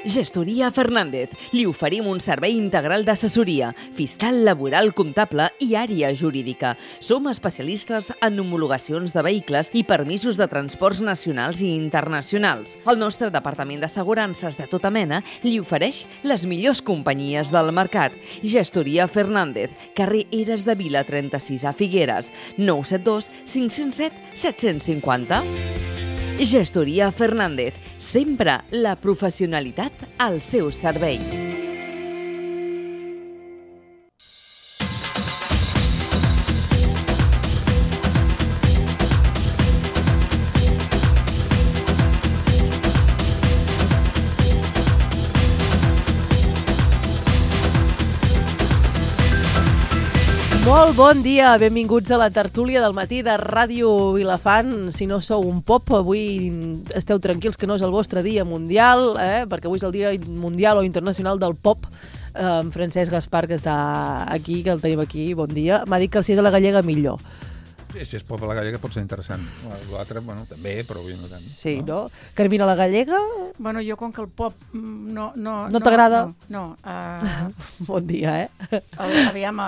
Gestoria Fernández. Li oferim un servei integral d'assessoria, fiscal, laboral, comptable i àrea jurídica. Som especialistes en homologacions de vehicles i permisos de transports nacionals i internacionals. El nostre departament d'assegurances de tota mena li ofereix les millors companyies del mercat. Gestoria Fernández, carrer Eres de Vila 36 a Figueres, 972 507 750. Gestoria Fernández, sempre la professionalitat al seu servei. Molt bon dia, benvinguts a la tertúlia del matí de Ràdio Vilafant. Si no sou un pop, avui esteu tranquils que no és el vostre dia mundial, perquè avui és el dia mundial o internacional del pop. Francesc Gaspar, que està aquí, que el tenim aquí, bon dia, m'ha dit que si és a la gallega millor. Si és pop a la gallega pot ser interessant. L'altre, bueno, també, però avui no tant. Sí, no? Carmina, la gallega? Bueno, jo com que el pop no t'agrada? No. Bon dia, Aviam,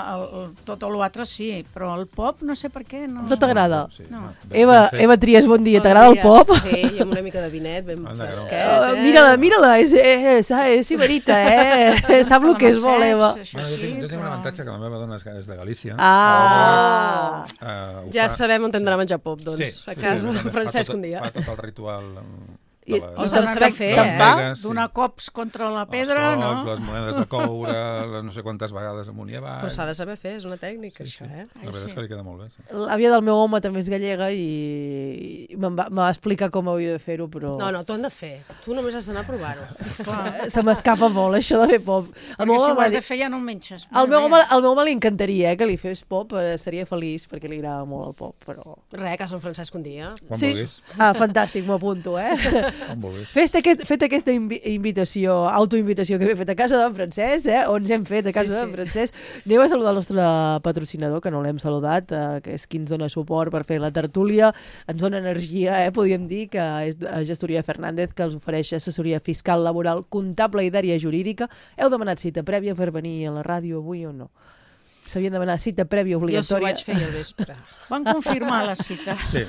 tot l'altre sí, però el pop no sé per què. No t'agrada? Sí, no. Eva Trias, bon dia. T'agrada el pop? Sí, i amb una mica de vinet, ben fresquet. Mira-la, és iberita, sap el que és molt, Eva. Jo tinc un avantatge, que la meva dona és de Galícia. Ja sabem on hem d'anar a menjar pop, doncs, a casa de Francesc un dia. Fa tot el ritual... S'ha de saber fer, donar cops contra la pedra, no? Les monedes de coure, no sé quantes vegades amunt i avall... Però s'ha de saber fer, és una tècnica, això, La veritat és que li queda molt bé. L'àvia del meu home també és gallega i em va explicar com havia de fer-ho, però... No, t'ho han de fer. Tu només has d'anar a provar-ho. Se m'escapa molt, això de fer pop. Perquè si ho has de fer ja no en menges. Al meu home li encantaria que li fes pop, seria feliç, perquè li agrada molt el pop, però... Res, a Sant Francesc un dia. Quan vulguis. Fantàstic, m'ho apunto, Com vulguis. Fet aquesta invitació, autoinvitació que he fet a casa d'en Francesc, on ens hem fet a casa d'en Francesc, anem a saludar el nostre patrocinador, que no l'hem saludat, que és qui ens dona suport per fer la tertúlia, ens dona energia, podríem dir, que és Gestoria Fernández, que els ofereix assessoria fiscal, laboral, comptable i d'àrea jurídica. Heu demanat cita prèvia per venir a la ràdio avui o no? S'havien demanat cita prèvia obligatòria. Jo s'ho vaig fer al vespre. Van confirmar la cita. Sí,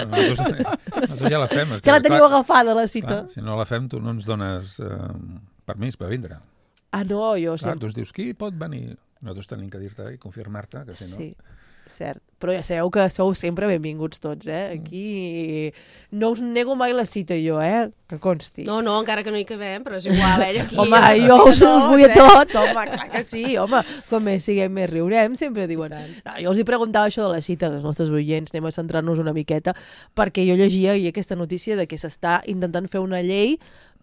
nosaltres ja la fem. Ja la teniu agafada, la cita. Clar, si no la fem, tu no ens dones permís per vindre. Ah, no, jo sempre... sempre... Tu ens dius, qui pot venir? Nosaltres tenim que dir-te i confirmar-te, que si no... Sí, cert. Però ja sabeu que sou sempre benvinguts tots, Aquí no us nego mai la cita jo, que consti. No, encara que no hi cabem, però és igual, aquí... Home, jo us vull a tots, home, clar que sí, home, com més siguem més riurem, sempre diuen... No, jo els hi preguntava això de la cita als nostres oients, anem a centrar-nos una miqueta, perquè jo llegia aquesta notícia de que s'està intentant fer una llei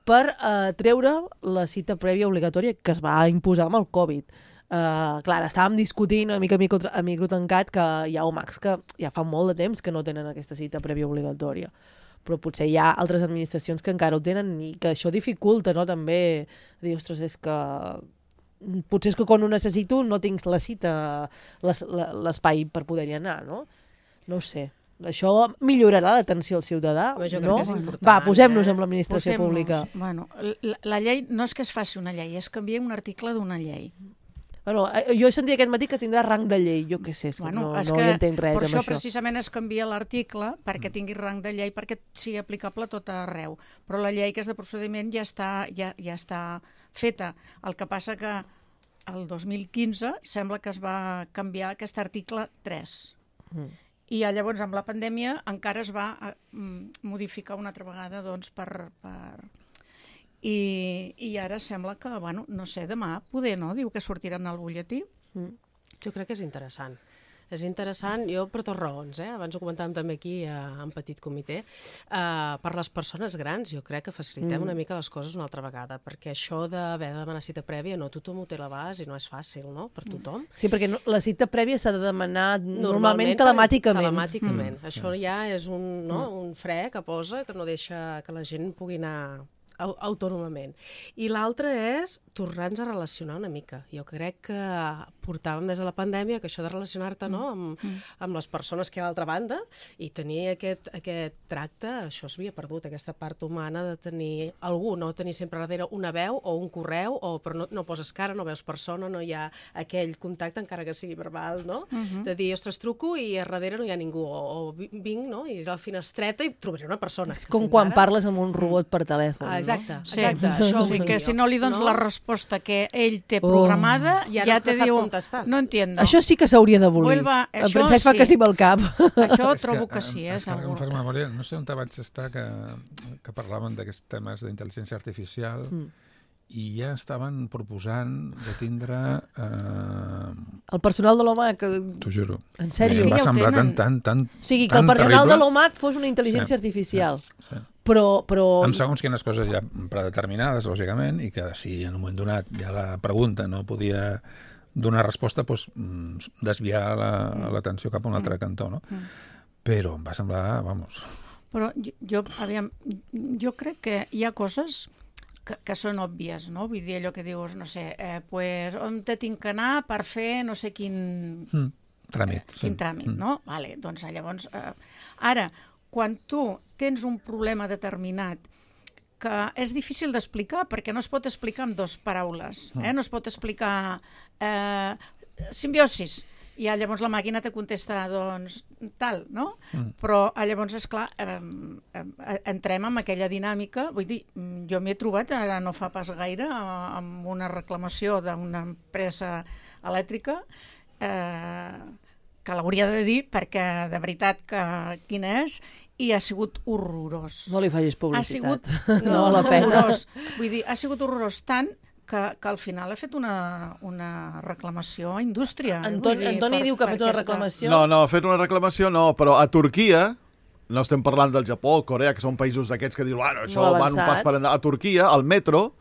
per treure la cita prèvia obligatòria que es va imposar amb el Covid. Clar, estàvem discutint una mica a micro tancat que hi ha OMACs que ja fa molt de temps que no tenen aquesta cita prèvia obligatòria, però potser hi ha altres administracions que encara ho tenen i que això dificulta, no? També dir, ostres, és que potser és que quan ho necessito no tinc la cita, l'espai per poder-hi anar, no? No ho sé. Això millorarà l'atenció al ciutadà, jo crec no? que és important, Va, posem-nos amb l'administració pública. Bueno, la llei no és que es faci una llei, és canviar un article d'una llei. Bueno, jo he sentit aquest matí que tindrà rang de llei, jo què sé, no hi entenc res amb això. Per això precisament es canvia l'article perquè tingui rang de llei, perquè sigui aplicable a tot arreu. Però la llei que és de procediment ja està feta. El que passa que el 2015 sembla que es va canviar aquest article 3. I llavors amb la pandèmia encara es va modificar una altra vegada doncs, I ara sembla que, bueno, no sé, demà poder, no? Diu que sortiran al butlletí. Jo crec que és interessant. És interessant, jo per dues raons, abans ho comentàvem també aquí en petit comitè, per les persones grans jo crec que facilitem una mica les coses una altra vegada, perquè això d'haver de demanar cita prèvia, no tothom ho té a l'abast i no és fàcil, no?, per tothom. Sí, perquè la cita prèvia s'ha de demanar normalment telemàticament. Telemàticament. Això ja és un fre que posa que no deixa que la gent pugui anar autònomament. I l'altre és tornar-nos a relacionar una mica. Jo crec que portàvem des de la pandèmia que això de relacionar-te amb les persones que hi ha a l'altra banda i tenir aquest tracte, això s'havia perdut, aquesta part humana de tenir algú, no tenir sempre darrere una veu o un correu, però no poses cara, no veus persona, no hi ha aquell contacte, encara que sigui verbal, no? De dir, ostres, truco i a darrere no hi ha ningú, o vinc, no? I a la finestreta i trobaré una persona. És com quan parles amb un robot per telèfon, exacte, no? exacte. Això Sí, que si no li dones la resposta que ell té programada, ja te diu, no entiendo. Això sí que s'hauria d'abolir. En Francesc fa que sí amb el cap. Això trobo que sí, segur. segur. Memòria, no sé on vaig estar que parlaven d'aquests temes d'intel·ligència artificial i ja estaven proposant de tindre... El personal de l'OMAC... T'ho juro. En sèrio? Em va semblar tan O sigui, que el personal de l'OMAC fos una intel·ligència artificial. Sí. Però... Amb segons quines coses ja predeterminades, lògicament, i que si en un moment donat ja la pregunta no podia donar resposta, doncs desviar l'atenció cap a un altre cantó, no? Però em va semblar, vamos... Però jo crec que hi ha coses que són òbvies, no? Vull dir, allò que dius, no sé, pues, on te tinc que anar per fer no sé quin... Tràmit. Quin tràmit, no? Vale, doncs llavors... Ara, quan tu tens un problema determinat que és difícil d'explicar, perquè no es pot explicar amb dues paraules, no es pot explicar simbiosis, i llavors la màquina te contesta, doncs, tal, no? Però llavors, esclar, entrem en aquella dinàmica, vull dir, jo m'he trobat, ara no fa pas gaire, amb una reclamació d'una empresa elèctrica, que l'hauria de dir, perquè de veritat que quina és, i ha sigut horrorós. No li facis publicitat. No val la pena. Horrorós. Vull dir, ha sigut horrorós tant que al final ha fet una reclamació a indústria. Antoni diu que ha fet una reclamació. No, ha fet una reclamació no, però a Turquia, no estem parlant del Japó, Corea, que són països d'aquests que diuen, bueno, això van un pas per endavant. A Turquia, al metro,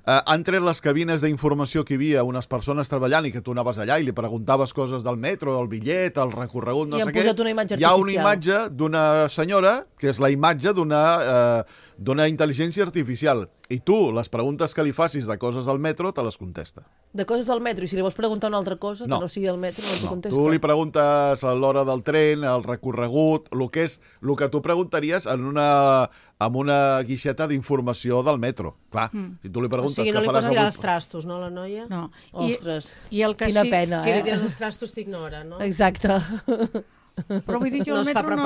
han tret les cabines d'informació que hi havia unes persones treballant i que tu anaves allà i li preguntaves coses del metro, el bitllet, el recorregut, no sé què. I han posat una imatge artificial. Hi ha una imatge d'una senyora que és la imatge d'una intel·ligència artificial. I tu, les preguntes que li facis de coses al metro, te les contesta. De coses al metro, i si li vols preguntar una altra cosa, que no sigui del metro, no t'ho contesta. Tu li preguntes a l'hora del tren, el recorregut, el que tu preguntaries en una guixeta d'informació del metro. Clar, si tu li preguntes... O sigui, no li pots tirar els trastos, no, la noia? No. Ostres, quina pena, Si li tires els trastos t'ignora, no? Exacte. Però vull dir, jo no al metro no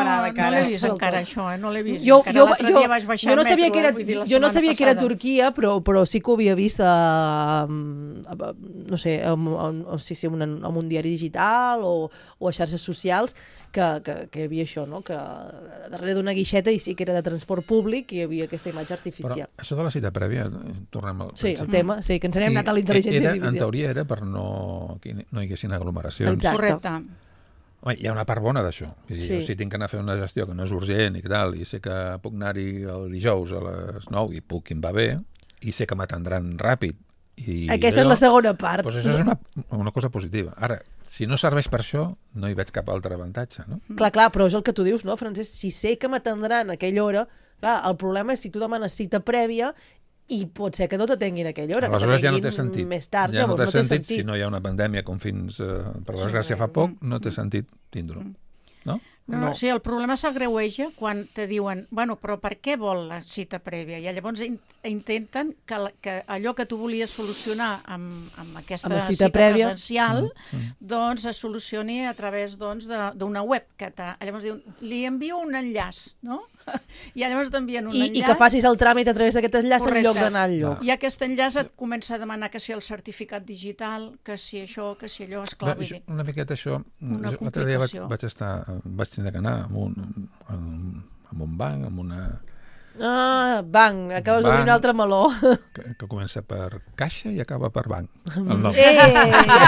l'he vist encara, això, no l'he vist. L'altre dia vaig baixar al metro. Jo no sabia que era Turquia, però sí que ho havia vist no sé, en un diari digital o a xarxes socials, que hi havia això, no? Que darrere d'una guixeta, i sí que era de transport públic, hi havia aquesta imatge artificial. Però això de la cita prèvia, tornem al Sí, el tema, sí, que ens n'hem anat a la intel·ligència artificial. En teoria era per no hi haguessin aglomeracions. Exacte. Home, hi ha una part bona d'això. Jo, si tinc que anar a fer una gestió que no és urgent i tal, i sé que puc anar-hi el dijous a les 9 i puc, em va bé, i sé que m'atendran ràpid. Aquesta és la segona part. Doncs això és una cosa positiva. Ara, si no serveix per això, no hi veig cap altre avantatge, no? Clar, però és el que tu dius, no, Francesc? Si sé que m'atendran a aquella hora, clar, el problema és si tu demanes cita prèvia i pot ser que no t'atenguin a aquella hora. Aleshores ja no té sentit. Més tard, ja no té sentit. Si no hi ha una pandèmia com fins, per desgràcia, fa poc, no té sentit tindre-ho. No? No, sí, el problema s'agreueja quan te diuen, bueno, però per què vol la cita prèvia? I llavors intenten que allò que tu volies solucionar amb aquesta cita presencial, doncs es solucioni a través d'una web. Llavors diuen, li envio un enllaç, no? I llavors t'envien un enllaç. I que facis el tràmit a través d'aquest enllaç en lloc d'anar al lloc. I aquest enllaç et comença a demanar que si el certificat digital, que si això, que si allò, esclar, vull dir. Una miqueta això, l'altre dia vaig tindre que anar amb un banc, amb una... Banc, acabes d'obrir un altre meló. Que comença per caixa i acaba per banc. El nom. Ja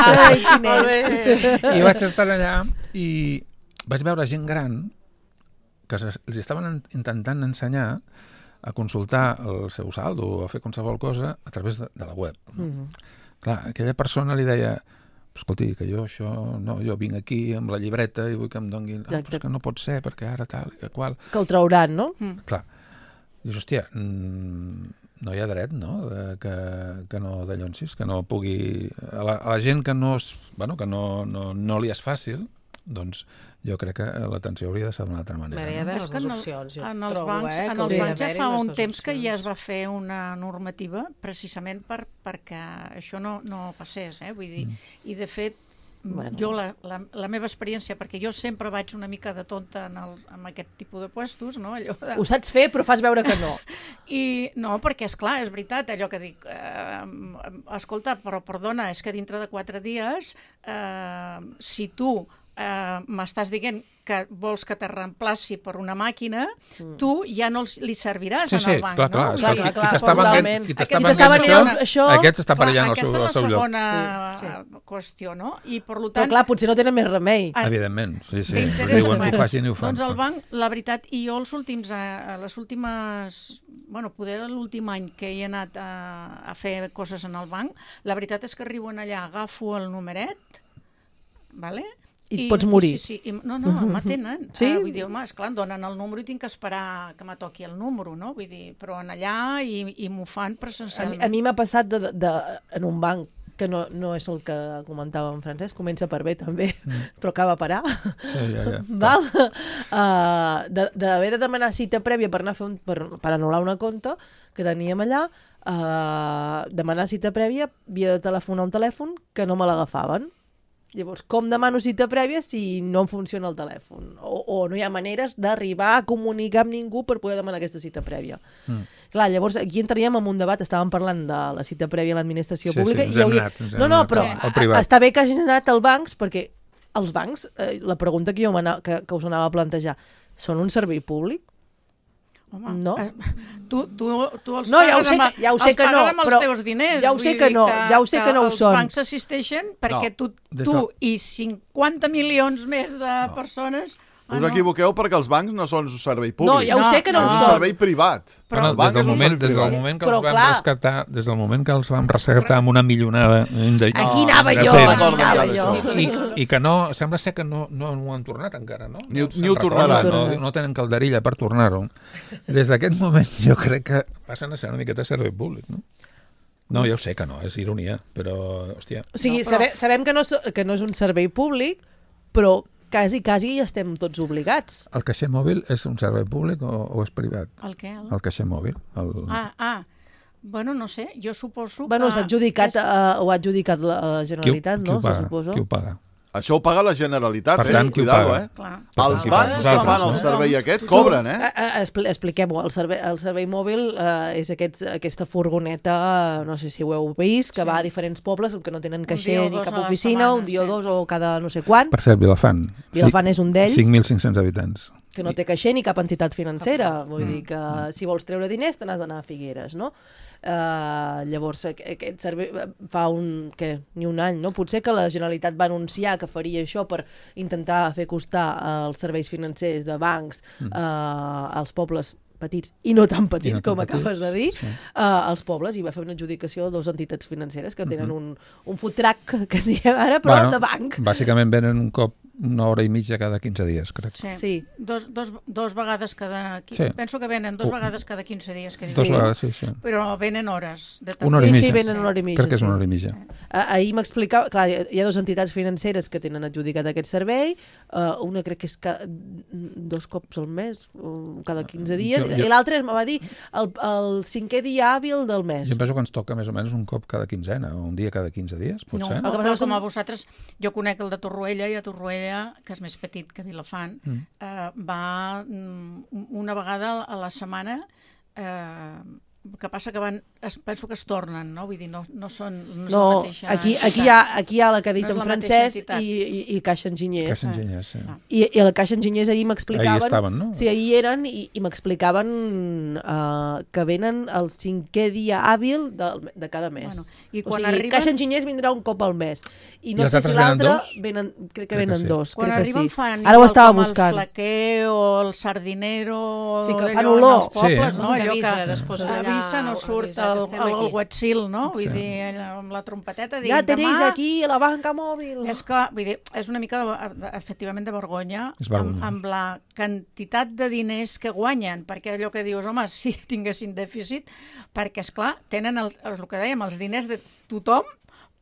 sabem quin és. I vaig estar allà i vaig veure gent gran que els estaven intentant ensenyar a consultar el seu saldo o a fer qualsevol cosa a través de la web. Clar, aquella persona li deia, escolti, que jo això, no, jo vinc aquí amb la llibreta i vull que em donguin... però és que no pot ser, perquè ara tal i que qual... Que ho trauran, no? Clar. Dius, hòstia, no hi ha dret, no?, que no dallonsis, que no pugui... A la gent que no li és fàcil, doncs jo crec que l'atenció hauria de ser d'una altra manera. Hi ha d'haver les dues opcions, jo en els trobo, bancs, que en els hauria bancs ja d'haver-hi fa les un dues temps que ja opcions. es va fer una normativa precisament perquè això no passés, vull dir, i de fet jo la meva experiència, perquè jo sempre vaig una mica de tonta en aquest tipus de puestos, no? Allò de... Ho saps fer, però fas veure que no. I no, perquè és clar, és veritat, allò que dic, escolta, però perdona, és que dintre de 4 dies, si tu m'estàs dient que vols que te reemplaci per una màquina, tu ja no li serviràs en el banc, clar, no? clar. Qui t'està venent això... Aquest està perillant el seu lloc. Aquesta és la segona qüestió, no? I per tant... Però clar, potser no tenen més remei. Evidentment, sí. Diuen que ho facin i ho fan. Doncs el banc, la veritat, i jo les últimes... Bueno, poder l'últim any que he anat a fer coses en el banc, la veritat és que arribo allà, agafo el numeret, vale? I et pots morir. Sí. No, m'atenen. Sí? Vull dir, home, esclar, em donen el número i tinc que esperar que me toqui el número, no? Vull dir, però en allà i m'ho fan presencialment. A mi m'ha passat en un banc, que no és el que comentava en Francesc, comença per bé també, però acaba a parar. Sí, ja. Val? D'haver de demanar cita prèvia per anar a fer per anul·lar una compta que teníem allà, demanar cita prèvia, havia de telefonar un telèfon que no me l'agafaven. Llavors, com demano cita prèvia si no em funciona el telèfon? O no hi ha maneres d'arribar a comunicar amb ningú per poder demanar aquesta cita prèvia. Clar, llavors aquí entraríem en un debat, estàvem parlant de la cita prèvia a l'administració pública. No, però està bé que hagin anat als bancs, perquè els bancs, la pregunta que us anava a plantejar, són un servei públic? Home, no? Tu els pagues amb els teus diners. Ja ho sé que no ho són. Els bancs assisteixen perquè tu i 50 milions més de persones... Us equivoqueu perquè els bancs no són un servei públic. No, ja ho sé que no ho són. És un servei privat. Des del moment que els vam rescatar amb una milionada... Aquí anava jo. I que no, sembla ser que no ho han tornat encara, no? Ni ho tornaran. No tenen calderilla per tornar-ho. Des d'aquest moment jo crec que passen a ser una miqueta servei públic, no? No, ja ho sé que no, és ironia, però, hòstia... O sigui, sabem que no és un servei públic, però quasi ja estem tots obligats. El caixer mòbil és un servei públic o és privat? El què? El caixer mòbil. Bueno, no sé, jo suposo que... Bueno, ho ha adjudicat la Generalitat, no? Qui ho paga? Això ho paga la Generalitat, per tant, cuidado, Els bancs que fan el servei aquest cobren, Expliquem-ho, el servei mòbil és aquesta furgoneta, no sé si ho heu vist, que va a diferents pobles, que no tenen caixer ni cap oficina, un dia o dos o cada no sé quan. Per cert, Vilafant. Vilafant és un d'ells. 5.500 habitants. Que no té caixer ni cap entitat financera. Vull dir que si vols treure diners te n'has d'anar a Figueres, no? Llavors aquest servei fa ni un any, no? Potser que la Generalitat va anunciar que faria això per intentar fer costar els serveis financers de bancs als pobles petits i no tan petits, com acabes de dir, als pobles, i va fer una adjudicació a 2 entitats financeres que tenen un food truck, que diem ara, però de banc. Bàsicament venen un cop 1 hora i mitja cada 15 dies, crec. Sí. Dos vegades cada... Penso que venen 2 vegades cada 15 dies. 2 vegades, sí. Però venen hores. Una hora i mitja. Sí, venen una hora i mitja. Crec que és una hora i mitja. Ahir m'explicava... Clar, hi ha 2 entitats financeres que tenen adjudicat aquest servei. Una crec que és 2 cops al mes, cada 15 dies. I l'altre me va dir el 5è dia hàbil del mes. Jo penso que ens toca més o menys un cop cada quinzena, o un dia cada 15 dies, potser. No, però com a vosaltres, jo conec el de Torroella, i a Torroella, que és més petit que Vilafant, va una vegada a la setmana, que passa que penso que es tornen, no? Vull dir, no són la mateixa... Aquí hi ha la que ha dit en Francesc i Caixa Enginyers. Caixa Enginyers, sí. I el Caixa Enginyers ahir m'explicaven... Ahir estaven, no? Sí, ahir eren i m'explicaven que venen el 5è dia hàbil de cada mes. I quan arriben... Caixa Enginyers vindrà un cop al mes. I no sé si l'altre... Crec que venen 2. Quan arriben fan ara ho estava buscant. El flaquer o el sardinero... Sí, que fan olor. Pobles, no? Que avisa després allà Suïssa no surt el Wetzel, no? Vull dir, amb la trompeteta... Ja tenéis aquí la banca mòbil. És que, vull dir, és una mica, efectivament, de vergonya amb la quantitat de diners que guanyen, perquè allò que dius, home, si tinguessin dèficit, perquè, esclar, tenen el que dèiem, els diners de tothom,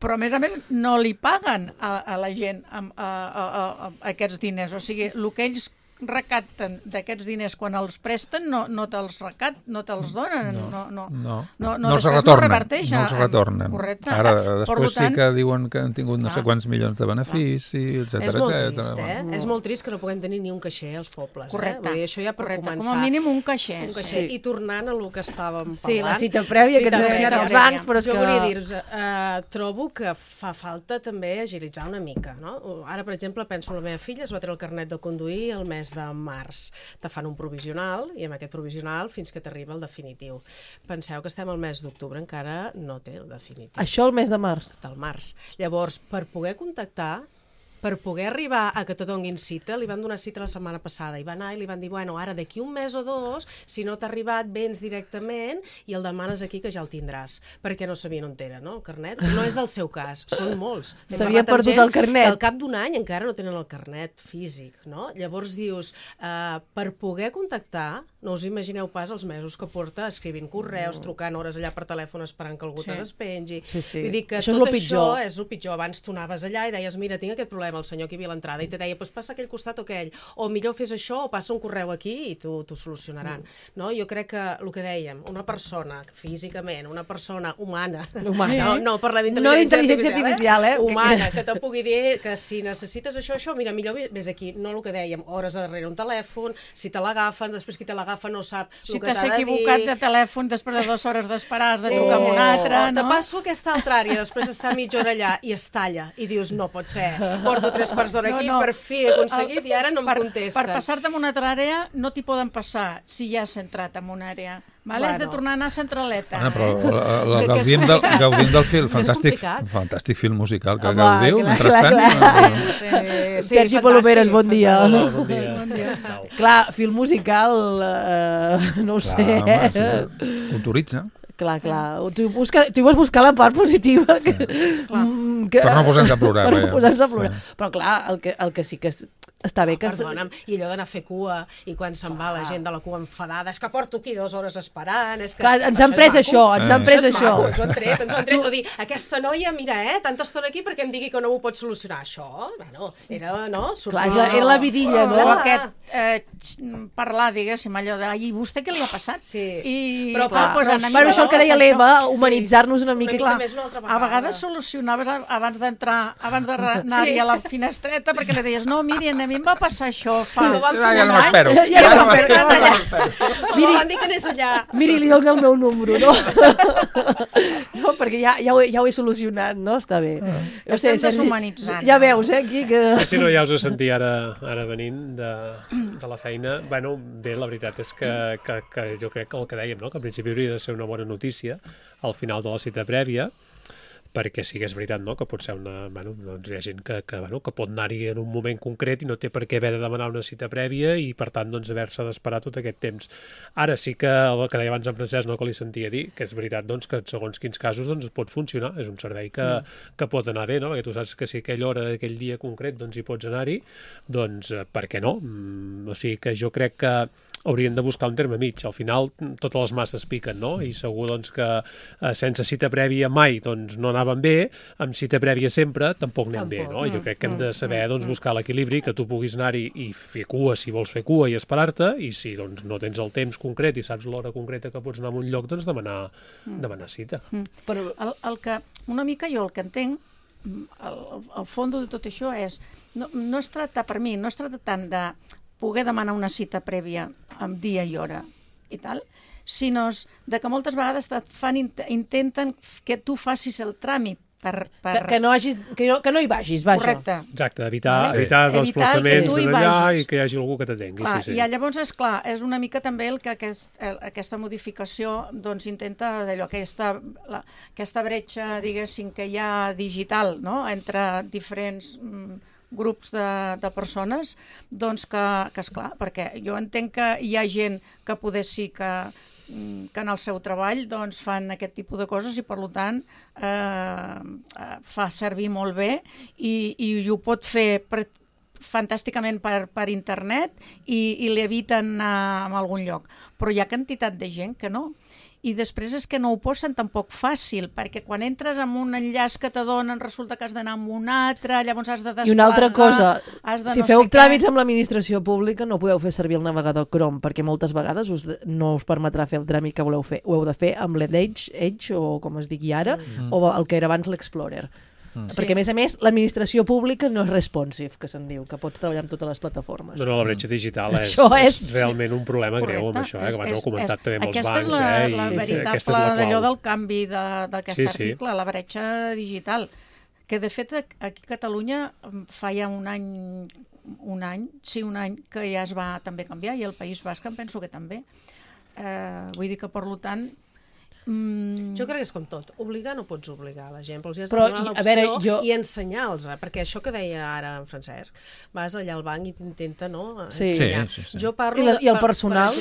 però a més no li paguen a la gent aquests diners. O sigui, el que ells recapten d'aquests diners quan els presten no te'ls donen, no els retornen. Correcte. Ara, després sí que diuen que han tingut no sé quants milions de benefici, etcètera. És molt trist, És molt trist que no puguem tenir ni un caixer als pobles. Correcte. Vull dir, això ja per començar. Com a mínim un caixer. I tornant a lo que estàvem parlant... Sí, la cita prèvia que ens han ensenyat els bancs, però és que... Jo volia dir-vos, trobo que fa falta també agilitzar una mica, no? Ara, per exemple, penso en la meva filla, es va treure el carnet de conduir el mes de març. Te fan un provisional i amb aquest provisional fins que t'arriba el definitiu. Penseu que estem al mes d'octubre, encara no té el definitiu. Això el mes de març? Del març. Llavors, per poder contactar, per poder arribar a que te donguin cita, li van donar cita la setmana passada i va anar i li van dir, bueno, ara d'aquí un mes o dos, si no t'ha arribat, vens directament i el demanes aquí que ja el tindràs, perquè no sabien on era, no, el carnet. No és el seu cas, són molts. S'havia perdut el carnet. Al cap d'un any encara no tenen el carnet físic, no? Llavors dius, per poder contactar, no us imagineu pas els mesos que porta escrivint correus, trucant hores allà per telèfon esperant que algú te despengi. Vull dir que tot això és el pitjor. Abans tu anaves allà i deies, mira, tinc aquest problema, el senyor que hi havia a l'entrada, i te deia, passa aquell costat o aquell, o millor fes això o passa un correu aquí i t'ho solucionaran. No? Jo crec que el que dèiem, una persona físicament, una persona humana, no parlem d'intel·ligència artificial, humana, que te pugui dir que si necessites això, mira, millor vés aquí, no el que dèiem, hores darrere un telèfon, si te l'agafen, després qui te l'agafa no sap el que t'ha de dir. Si t'has equivocat de telèfon després de 2 hores d'esperar, has de trucar amb un altre, no? Te passo aquesta altra àrea, després està mitja hora allà i es talla, i dius, no pot ser, porto 3 persones aquí, per fi he aconseguit i ara no em contesten. Per passar-te en una altra àrea no t'hi poden passar si ja has entrat en una àrea. Has de tornar a anar a Centraleta. Però gaudim del film, fantàstic film musical que gaudiu, mentrestant. Sergi Palomeres, bon dia. Bon dia. Clar, film musical, no ho sé. Culturitza. Clar. Tu vas buscar la part positiva. Per no posar-nos a plorar. Però clar, el que sí que està bé que... Perdona'm, i allò d'anar a fer cua, i quan se'n va la gent de la cua enfadada, és que porto aquí 2 hores esperant, és que... Clar, ens han pres això, Ens ho han tret, o dir, aquesta noia, mira, tanta estona aquí perquè em digui que no m'ho pot solucionar. Això, bueno, era, no? Clar, era la vidilla, no? Parlar, diguéssim, allò de, i vostè què li ha passat? Sí. Però això que deia l'Eva, humanitzar-nos una mica. A vegades solucionaves abans d'entrar, abans d'anar-hi a la finestreta, perquè li deies, no, miri, a mi em va passar això fa... Ja no m'espero. Miri, van dir que anés allà. Miri, li dono el meu número, no? No, perquè ja ho he solucionat, no? Està bé. Estem deshumanitzant. Ja veus, aquí que... Sí, no, ja us he sentit ara venint de la feina. Bueno, bé, la veritat és que jo crec que el que dèiem, no? Que al principi hauria de ser una bona notícia al final de la cita prèvia, perquè sí que és veritat, no?, que pot ser una... Bueno, doncs hi ha gent que pot anar-hi en un moment concret i no té per què haver de demanar una cita prèvia i, per tant, doncs, haver-se d'esperar tot aquest temps. Ara sí que el que deia abans en Francesc, no?, que li sentia dir, que és veritat, doncs, que en segons quins casos doncs, pot funcionar. És un servei que pot anar bé, no?, perquè tu saps que si aquella hora d'aquell dia concret doncs, hi pots anar-hi, doncs, per què no? O sigui que jo crec que haurien de buscar un terme mig. Al final, totes les masses piquen, no? I segur doncs, que sense cita prèvia mai doncs, no anaven bé, amb cita prèvia sempre tampoc anem bé, no? Jo crec que hem de saber doncs, buscar l'equilibri, que tu puguis anar-hi i fer cua si vols fer cua i esperar-te, i si doncs, no tens el temps concret i saps l'hora concreta que pots anar a un lloc, doncs demanar cita. Però una mica jo el que entenc, el fons de tot això és, no es tracta per mi, no es tracta tant de poder demanar una cita prèvia amb dia i hora i tal, sinó de que moltes vegades intenten que tu facis el tràmit que no hi vagis, vaja. Correcte. Exacte, evitar desplaçaments d'allà i que hi hagi algú que t'atengui. I llavors, esclar, és una mica també el que aquesta modificació doncs, intenta d'allò, aquesta bretxa, diguéssim, que hi ha digital, no?, entre diferents grups de persones, doncs que esclar, perquè jo entenc que hi ha gent que poder sí que que en el seu treball doncs, fan aquest tipus de coses i, per tant, fa servir molt bé i ho pot fer fantàsticament per internet i l'eviten a algun lloc. Però hi ha quantitat de gent que no. I després és que no ho posen tampoc fàcil, perquè quan entres en un enllaç que te donen resulta que has d'anar amb un altre, llavors has de desplegar... I una altra cosa, si feu tràmits amb l'administració pública no podeu fer servir el navegador Chrome, perquè moltes vegades no us permetrà fer el tràmit que voleu fer. Ho heu de fer amb l'Edge, o com es digui ara, o el que era abans l'Explorer. Perquè, a més, l'administració pública no és responsive, que se'n diu, que pots treballar amb totes les plataformes. No, la bretxa digital és realment un problema greu amb això, que abans ho he comentat també amb els bancs. Aquesta és la veritable d'allò del canvi d'aquest article, la bretxa digital, que de fet aquí a Catalunya fa ja un any que ja es va també canviar, i el País Basc em penso que també. Vull dir que, per tant, jo crec que és com tot, obligar no pots obligar la gent, però els has de donar l'opció i ensenyar-los, perquè això que deia ara en Francesc, vas allà al banc i t'intenta ensenyar. Jo parlo i el personal?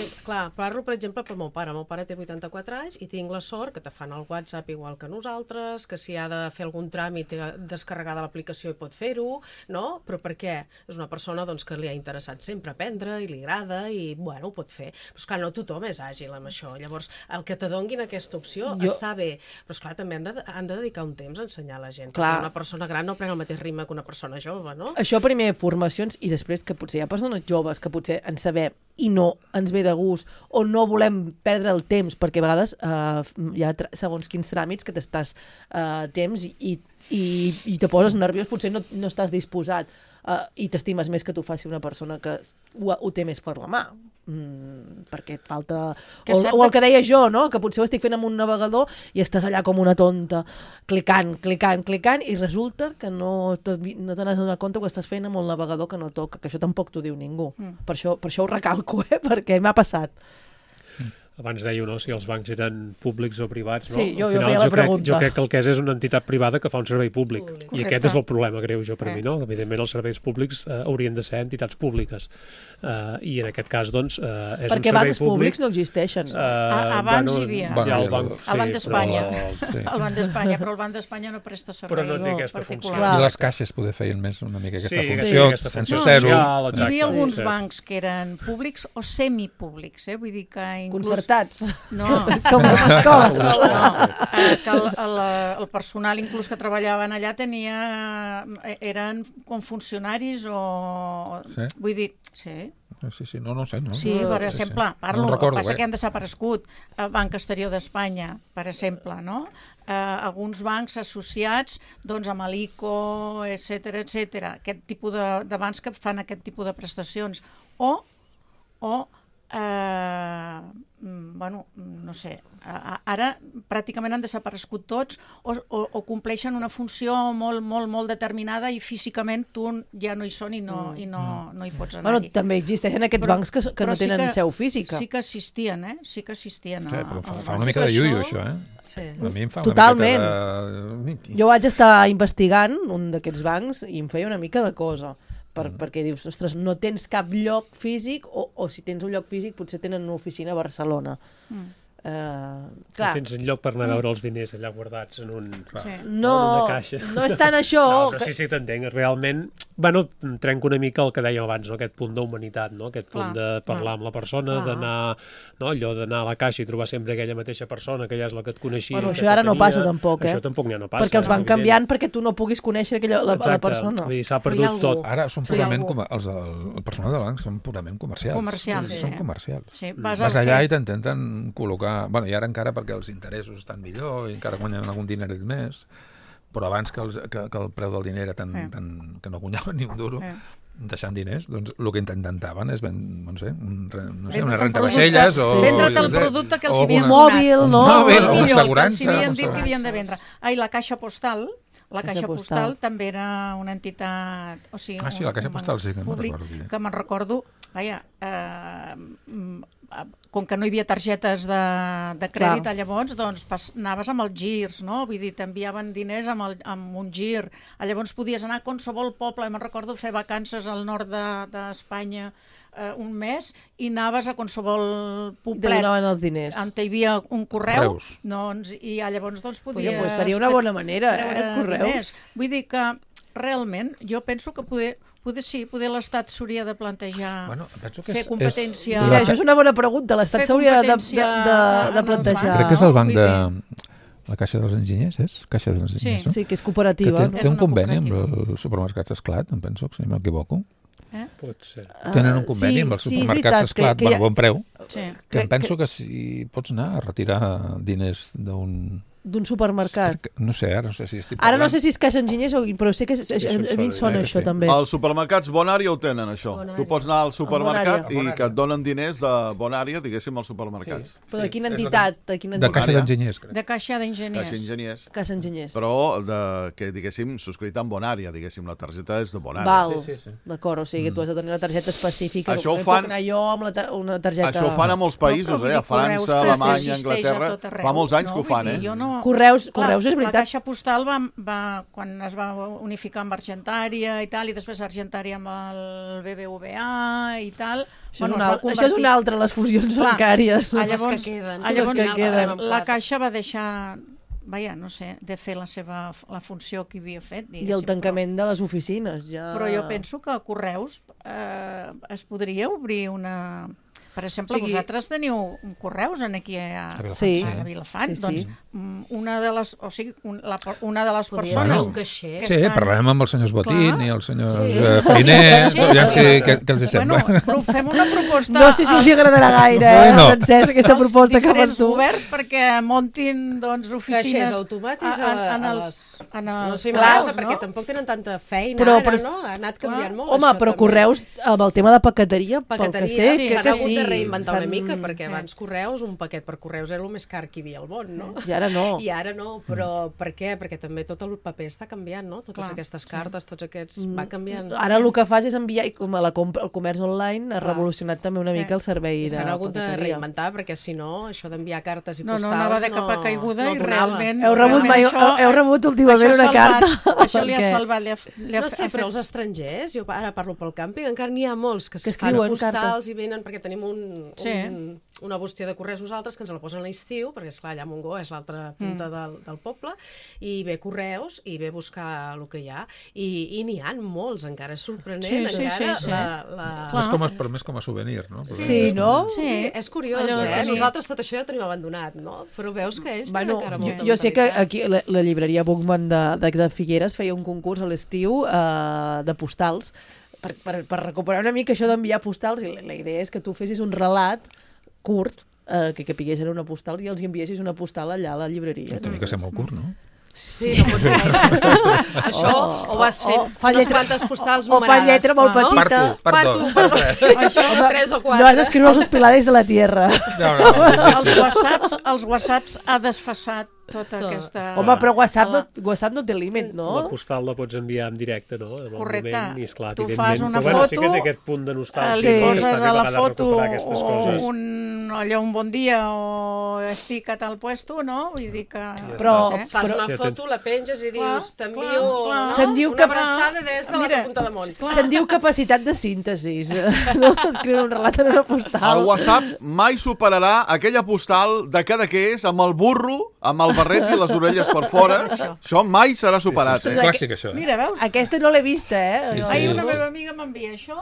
Parlo per exemple pel meu pare té 84 anys i tinc la sort que te fan el WhatsApp igual que nosaltres, que si ha de fer algun tràmit descarregar de l'aplicació i pot fer-ho, no? Però per què? És una persona que li ha interessat sempre aprendre i li agrada i ho pot fer, però esclar, no tothom és àgil amb això, llavors el que te donguin aquesta opció està bé, però esclar, també han de dedicar un temps a ensenyar a la gent, perquè una persona gran no pren el mateix ritme que una persona jove, no? Això primer, formacions, i després que potser hi ha persones joves que potser en sabem i no ens ve de gust o no volem perdre el temps, perquè a vegades hi ha segons quins tràmits que t'estàs temps i te poses nerviós, potser no estàs disposat i t'estimes més que t'ho faci una persona que ho té més per la mà, perquè et falta... O el que deia jo, no? Que potser ho estic fent amb un navegador i estàs allà com una tonta, clicant, i resulta que no te n'has donat compte que ho estàs fent amb el navegador que no toca, que això tampoc t'ho diu ningú. Per això ho recalco, perquè m'ha passat. Abans dèieu, no?, si els bancs eren públics o privats, no? Sí, jo feia la pregunta. Jo crec que el que és una entitat privada que fa un servei públic. I aquest és el problema greu, per mi, no? Evidentment, els serveis públics haurien de ser entitats públiques. I en aquest cas, doncs, és un servei públic... Perquè bancs públics no existeixen. Abans hi havia. El Banc d'Espanya. El Banc d'Espanya, però el Banc d'Espanya no presta servei particular. Però no té aquesta funció. I les caixes poder feien més una mica aquesta funció, sense zero. Hi havia alguns bancs que eren públics o semipúblics, vull dir que inclús... No, com les escoles. Que el personal inclús que treballaven allà eren com funcionaris o... Vull dir, sí. Sí, no sé. Sí, per exemple, parlo, el que passa que han desaparegut Banc Exterior d'Espanya, per exemple, no? Alguns bancs associats amb l'ICO, etc. Aquest tipus de bancs que fan aquest tipus de prestacions. O no sé, ara pràcticament han desaparegut tots o compleixen una funció molt determinada i físicament tu ja no hi són i no hi pots anar-hi. També existeixen aquests bancs que no tenen seu física. Sí que existien, Sí, però fa una mica de iuio, això, Sí. A mi em fa totalment. Una mica de... Jo vaig estar investigant un d'aquests bancs i em feia una mica de cosa. Perquè dius, ostres, no tens cap lloc físic o si tens un lloc físic potser tenen una oficina a Barcelona. Clar. Tens un lloc per anar a veure els diners allà guardats en una caixa. No és tant això. No, sí, t'entenc. Realment, trenco una mica el que dèiem abans, no? Aquest punt d'humanitat, no? Aquest punt de parlar amb la persona, d'anar, no? Allò d'anar a la caixa i trobar sempre aquella mateixa persona que ja és la que et coneixia. Això ara no passa tampoc, Això tampoc ja no passa. Perquè els van canviant perquè tu no puguis conèixer la persona. Vull dir, s'ha perdut tot. Ara són purament, el personal de banc són purament comercials. Són comercials. Vas allà i t'intenten col·locar... I ara encara perquè els interessos estan millor i encara guanyen algun dineret més, però abans que el preu del diner era que no guanyaven ni un duro, deixant diners, doncs el que intentaven és una renta vaixelles o... Vendre't el producte que els havien donat. Mòbil, no? Mòbil, o assegurança. Que havien dit que havien de vendre. La Caixa Postal... La Caixa Postal també era una entitat... Sí, la Caixa Postal sí que me'n recordo. Que me'n recordo, com que no hi havia targetes de crèdit, llavors doncs, anaves amb els girs, no? Vull dir, t'enviaven diners amb un gir. Llavors podies anar a qualsevol poble. Me'n recordo fer vacances al nord d'Espanya un mes i anaves a qualsevol poblet. I te donaven els diners. On hi havia un correu. I llavors doncs podies... Pues seria una bona manera, correus. Diners. Vull dir que realment jo penso que poder l'Estat s'hauria de plantejar fer competència... Mira, això és una bona pregunta, l'Estat s'hauria de plantejar. Crec que és el banc de... La Caixa dels Enginyers, és? Caixa dels Enginyers, sí, que és cooperativa. Que té un conveni amb els supermercats Esclat, em penso, si no m'equivoco. Pot ser. Tenen un conveni amb els supermercats Esclat, per bon preu, que em penso que si pots anar a retirar diners d'un supermercat. No sé, ara no sé si estic parlant. Ara no sé si és Caixa Enginyers, però sé que a mi em sona això també. Els supermercats Bonària ho tenen, això. Tu pots anar al supermercat i que et donen diners de Bonària, diguéssim, als supermercats. Però de quina entitat? De Caixa d'Enginyers, crec. De Caixa d'Enginyers. Caixa Enginyers. Però que, diguéssim, subscrit amb Bonària, diguéssim, la targeta és de Bonària. Val, d'acord, o sigui, tu has de tenir una targeta específica. Això ho fan... anar jo amb una targeta... Això ho fan a molts països, a França, Alemanya, Anglaterra. Fa molts anys que ho fan, Correus és veritat. La Caixa Postal quan es va unificar amb Argentària i tal, i després Argentària amb el BBVA i tal... Això és una altra, les fusions bancàries. Llavors, la Caixa va deixar... no sé, de fer la funció que havia fet. I el tancament de les oficines. Però jo penso que a Correus es podria obrir una... Per exemple, vosaltres teniu Correus aquí a Vilafant. Doncs una de les persones... Sí, parlarem amb els senyors Botín i els senyors Feiners, què els sembla. Fem una proposta... No sé si els agradarà gaire, Francesc, aquesta proposta que fas tu. Oberts perquè muntin oficines... Caixers automàtics no sé, perquè tampoc tenen tanta feina ara, no? Ha anat canviant molt. Home, però Correus, amb el tema de paqueteria, pel que sé, que sí. De reinventar una mica, perquè abans Correus, un paquet per Correus era el més car que hi havia al món, no? I ara no, però per què? Perquè també tot el paper està canviant, no? Totes aquestes cartes, tots aquests... va canviant. Ara el que fas és enviar, i com el comerç online ha revolucionat també una mica el servei de paqueteria. S'han hagut de reinventar, perquè si no, això d'enviar cartes i postals... No anava de capa caiguda i realment... Heu rebut últimament una carta. Això li ha salvat. No sé, però els estrangers, jo ara parlo pel càmping, encara n'hi ha molts que fan postals i venen perquè tenim una bústia de correus nosaltres que ens la posen a l'estiu, perquè esclar, allà a Montgó és l'altra punta del poble, i ve correus i ve buscar el que hi ha, i n'hi ha molts, encara és sorprenent, però més com a souvenir, no? Sí, no? Sí, és curiós, nosaltres tot això ja ho tenim abandonat, no? Però veus que ells tenen encara molta jo sé que aquí la llibreria Bookman de Figueres feia un concurs a l'estiu de postals per recuperar una mica això d'enviar postals, i la idea és que tu fessis un relat curt, que capigués en una postal i els enviessis una postal allà a la llibreria. Tenia que ser molt curt, no? Sí, no pots dir això, o vas fent unes quantes postals numerades. O fa lletra molt petita. Per dos. 3 o 4. No has d'escriure els pilares de la tierra. Els whatsapps ha desfasat tota aquesta... Home, però WhatsApp no té límit, no? La postal la pots enviar en directe, no? Correcte. Tu fas una foto, sí que té aquest punt de nostàlgia. Li poses a la foto un bon dia o estic a tal puesto, no? Vull dir que... Però fas una foto, la penges i dius t'envio una abraçada des de la punta de món. Se'n diu capacitat de síntesi. No escriure un relat en una postal. El WhatsApp mai superarà aquella postal de Cadaqués amb el burro, amb el barret i les orelles per fora. Això mai serà superat, És clàssic, això. Mira, veus? Aquesta no l'he vista, Una meva amiga m'envia això.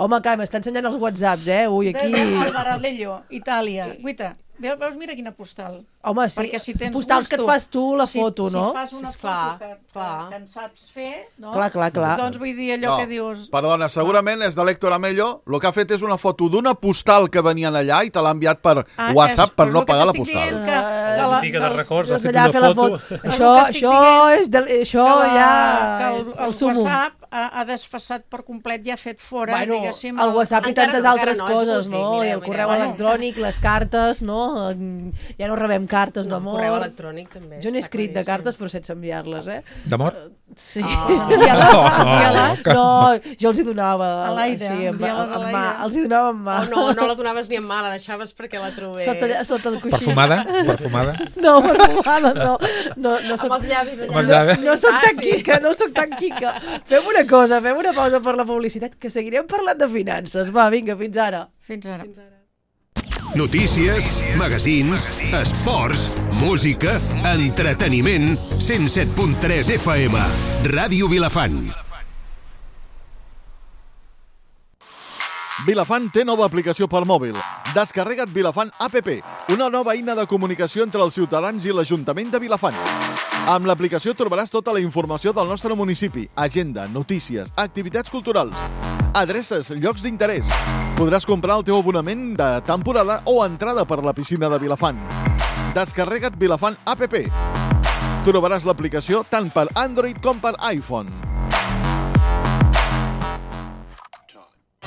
Home, que m'està ensenyant els whatsapps, avui aquí. Al Baralello, Itàlia. Guaita, veus, mira quina postal. Home, sí, postals que et fas tu la foto, no? Si fas una foto que en saps fer, no? Clar. Doncs vull dir allò que dius... Perdona, segurament és de l'Héctor Amello, el que ha fet és una foto d'una postal que venien allà i te l'ha enviat per WhatsApp per no pagar la postal. La botiga de records, ha fet una foto. Això ja... El WhatsApp ha desfasat per complet i ha fet fora, diguéssim... El WhatsApp i tantes altres coses, no? I el correu electrònic, les cartes, no? Ja no rebem cartes d'amor. El correu electrònic també. Jo n'he escrit de cartes però sense enviar-les, D'amor? Sí. Envia-les. No, jo els hi donava a l'aire, amb envia-les a mà. l'aire. Els hi donava amb mà. No la donaves ni amb mà, la deixaves perquè la trobés. Sota el coixí. Perfumada? No, perfumada, no. Amb els llavis Amb els llavis. No soc tan quica, no soc tan quica. Fem una cosa, fem una pausa per la publicitat, que seguirem parlant de finances. Va, vinga, fins ara. Fins ara. Notícies, magazins, esports, música, entreteniment, 107.3 FM, Ràdio Vilafant. Vilafant té nova aplicació per mòbil. Descarrega't Vilafant APP, una nova eina de comunicació entre els ciutadans i l'Ajuntament de Vilafant. Amb l'aplicació trobaràs tota la informació del nostre municipi, agenda, notícies, activitats culturals, adreces, llocs d'interès. Podràs comprar el teu abonament de temporada o entrada per la piscina de Vilafant. Descarrega't Vilafant APP. Trobaràs l'aplicació tant per Android com per iPhone.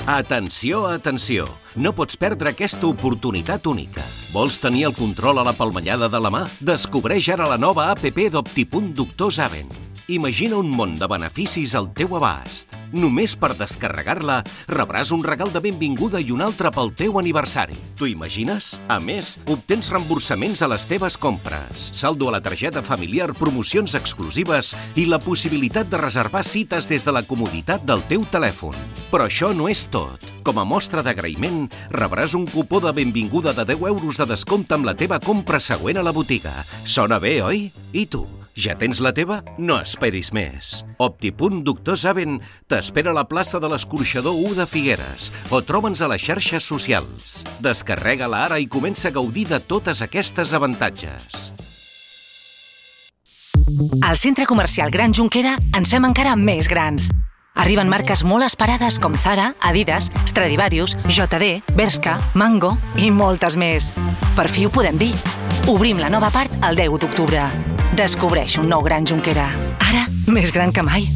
Atenció, atenció! No pots perdre aquesta oportunitat única. Vols tenir el control a la palmellada de la mà? Descobreix ara la nova APP d'Optipunt Doctor Zaven. Imagina un món de beneficis al teu abast. Només per descarregar-la rebràs un regal de benvinguda i un altre pel teu aniversari. T'ho imagines? A més, obtens reemborsaments a les teves compres, saldo a la targeta familiar, promocions exclusives i la possibilitat de reservar cites des de la comoditat del teu telèfon. Però això no és tot. Com a mostra d'agraïment, rebràs un cupó de benvinguda de 10 euros de descompte amb la teva compra següent a la botiga. Sona bé, oi? I tu? Ja tens la teva? No esperis més. Optipunt Doctor Zaven t'espera a la plaça de l'Escorxador 1 de Figueres o troba'ns a les xarxes socials. Descarrega-la ara i comença a gaudir de totes aquestes avantatges. Al Centre Comercial Gran Jonquera ens fem encara més grans. Arriben marques molt esperades com Zara, Adidas, Stradivarius, JD, Bershka, Mango i moltes més. Per fi ho podem dir. Obrim la nova part el 10 d'octubre. Descobreix un nou Gran Jonquera. Ara, més gran que mai.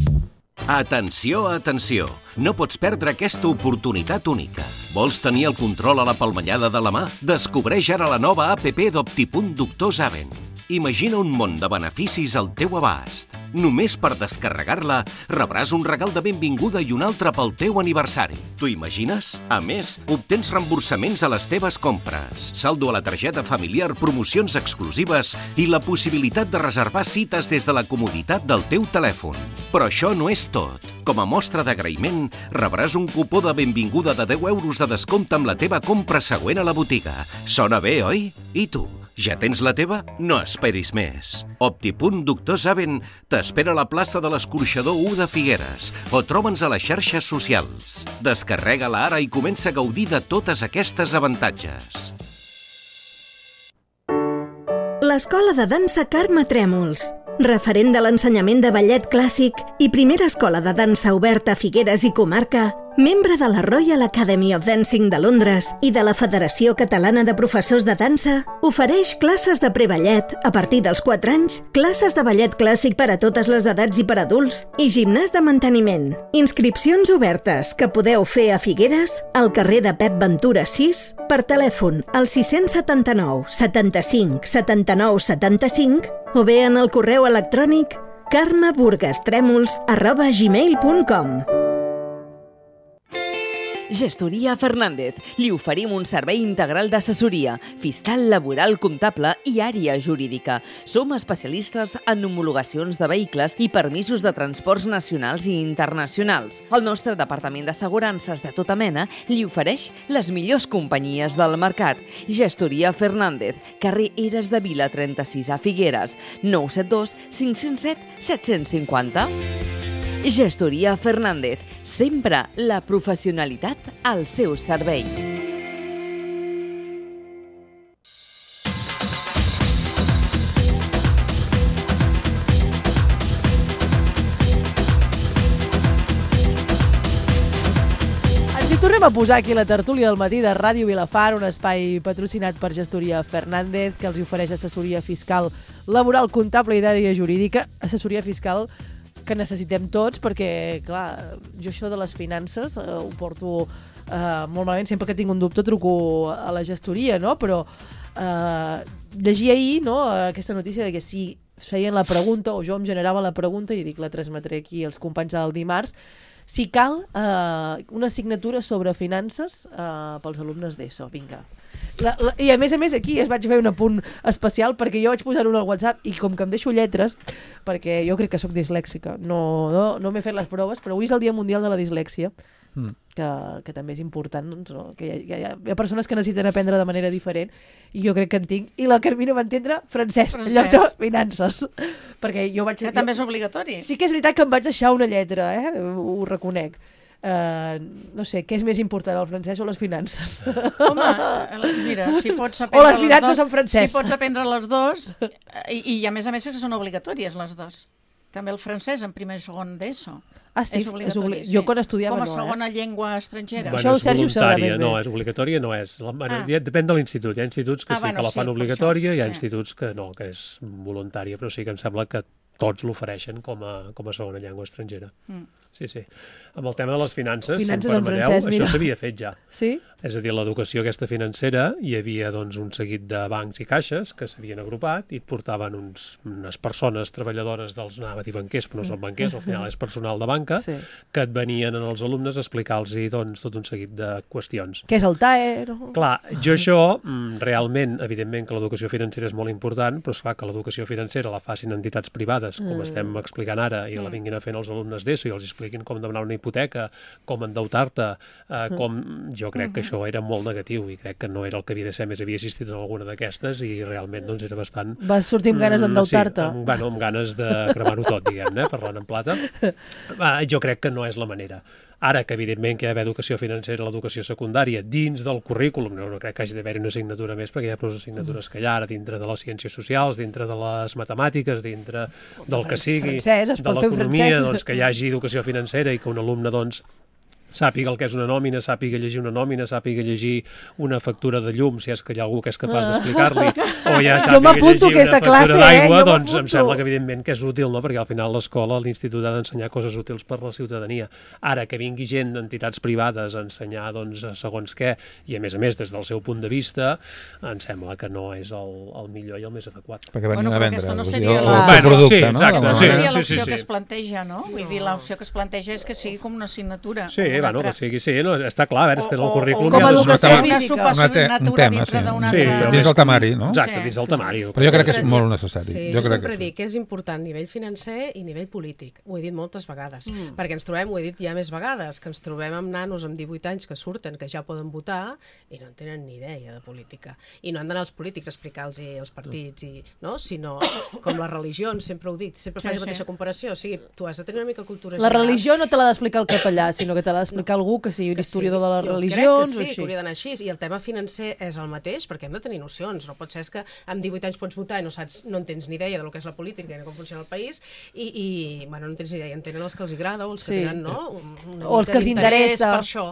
Atenció, atenció! No pots perdre aquesta oportunitat única. Vols tenir el control a la palmellada de la mà? Descobreix ara la nova APP d'Optipunt Doctor Zaven. Imagina un món de beneficis al teu abast. Només per descarregar-la rebràs un regal de benvinguda i un altre pel teu aniversari. T'ho imagines? A més, obtens reemborsaments a les teves compres, saldo a la targeta familiar, promocions exclusives i la possibilitat de reservar cites des de la comoditat del teu telèfon. Però això no és tot. Com a mostra d'agraïment, rebràs un cupó de benvinguda de 10 euros de descompte amb la teva compra següent a la botiga. Sona bé, oi? I tu? Ja tens la teva? No esperis més. Optipunt Doctor Zaven t'espera a la plaça de l'Escorxador 1 de Figueres o troba'ns a les xarxes socials. Descarrega-la ara i comença a gaudir de totes aquestes avantatges. L'Escola de Dansa Carme Trèmols, referent de l'ensenyament de ballet clàssic i primera escola de dansa oberta a Figueres i comarca, membre de la Royal Academy of Dancing de Londres i de la Federació Catalana de Professors de Dansa, ofereix classes de preballet a partir dels 4 anys, classes de ballet clàssic per a totes les edats i per adults i gimnàs de manteniment. Inscripcions obertes que podeu fer a Figueres, al carrer de Pep Ventura 6, per telèfon al 679 75 79 75 o bé en el correu electrònic carmeburgastremols@gmail.com. Gestoria Fernández. Li oferim un servei integral d'assessoria, fiscal, laboral, comptable i àrea jurídica. Som especialistes en homologacions de vehicles i permisos de transports nacionals i internacionals. El nostre departament d'assegurances de tota mena li ofereix les millors companyies del mercat. Gestoria Fernández, carrer Eres de Vila 36 a Figueres, 972 507 750. Gestoria Fernández, sempre la professionalitat al seu servei. Ens hi tornem a posar aquí la tertúlia del matí de Ràdio Vilafant, un espai patrocinat per Gestoria Fernández, que els ofereix assessoria fiscal, laboral, comptable i d'àrea jurídica. Assessoria fiscal que necessitem tots, perquè, clar, jo això de les finances ho porto molt malament. Sempre que tinc un dubte truco a la gestoria, no? Però llegia ahir, no, aquesta notícia de que si feien la pregunta, o jo em generava la pregunta, i dic, la transmetré aquí als companys del dimarts, si cal una assignatura sobre finances pels alumnes d'ESO, vinga. I a més aquí es vaig fer un apunt especial perquè jo vaig posar-ho al WhatsApp i com que em deixo lletres, perquè jo crec que sóc dislèxica, no m'he fet les proves, però avui és el Dia Mundial de la Dislèxia, que també és important, doncs, no? Que hi ha persones que necessiten aprendre de manera diferent i jo crec que en tinc, i la Carmina va entendre francès en lloc de finances, perquè jo vaig... Que també és obligatori. Sí que és veritat que em vaig deixar una lletra, ho reconec. No sé, què és més important, el francès o les finances? Home, mira, si pots aprendre o les finances en francès. Si pots aprendre les dues, i a més que són obligatòries les dues. També el francès en primer i segon d'ESO. Ah, sí? És obligatori, Jo quan estudiava com a no, segona llengua estrangera. Això ho Sergi ho sabrà més bé. No, és obligatòria, no és. Depèn de l'institut. Hi ha instituts que sí que la fan obligatòria, hi ha instituts que no, que és voluntària, però sí que em sembla que tots l'ofereixen com a segona llengua estrangera. Sí. Amb el tema de les finances, si em permeteu, això s'havia fet ja. Sí? És a dir, l'educació aquesta financera, hi havia doncs, un seguit de bancs i caixes que s'havien agrupat i et portaven unes persones treballadores dels, anava a dir banquers, però no són banquers, al final és personal de banca, que et venien als alumnes a explicar-los doncs, tot un seguit de qüestions. Què és el TAE? Clar, jo això, realment, evidentment que l'educació financera és molt important, però és clar que l'educació financera la facin entitats privades, com estem explicant ara, i la vinguin a fer els alumnes d'ESO i els expliquin com demanar una hipoteca, com endeutar-te, jo crec que això era molt negatiu i crec que no era el que havia de ser, més havia assistit en alguna d'aquestes i realment doncs era bastant... Vas sortir amb ganes d'endeutar-te? Sí, amb ganes de cremar-ho tot, diguem-ne, parlant en plata. Jo crec que no és la manera. Ara que, evidentment, que hi ha d'haver educació financera a l'educació secundària dins del currículum, no crec que hagi d'haver-hi una assignatura més, perquè hi ha prou assignatures que hi ha ara dintre de les ciències socials, dintre de les matemàtiques, dintre del que sigui, de l'economia, doncs, que hi hagi educació financera i que un alumne, doncs, sàpiga el que és una nòmina, sàpiga llegir una nòmina, sàpiga llegir una factura de llum, si és que hi ha algú que és capaç d'explicar-li, o ja sàpiga llegir una factura d'aigua, doncs em sembla que evidentment que és útil, no? Perquè al final l'escola, l'institut ha d'ensenyar coses útils per la ciutadania. Ara que vingui gent d'entitats privades a ensenyar doncs, segons què, i a més, des del seu punt de vista, em sembla que no és el millor i el més adequat. Perquè venien a vendre no el producte, no? No seria l'opció que es planteja, no? Vull dir, l'opció que es planteja és que sigui com una assignatura. Sí, que sigui, sí, està clar, és que en el currículum... Com a educació física. Un tema, sí, dins del temari, no? Exacte, dins del temari. Però jo crec que és molt necessari. Sí, jo sempre dic que és important a nivell financer i a nivell polític. Ho he dit moltes vegades. Perquè ens trobem, ho he dit ja més vegades, que ens trobem amb nanos amb 18 anys que surten, que ja poden votar i no en tenen ni idea de política. I no han d'anar els polítics a explicar-los els partits, sinó com les religions, sempre ho he dit, sempre faig la mateixa comparació. O sigui, tu has de tenir una mica cultura general. La religió no te l'ha d'explicar el capellà, sinó que te l'ha d'explicar algú que sigui un historiador de les religions. Jo crec que sí, que hauria d'anar així. I el tema financer és el mateix, perquè hem de tenir nocions. No pot ser que amb 18 anys pots votar i no en tens ni idea del que és la política i de com funciona el país, i no en tens ni idea. En tenen els que els agrada o els que tenen, o els que els interessa. Per això.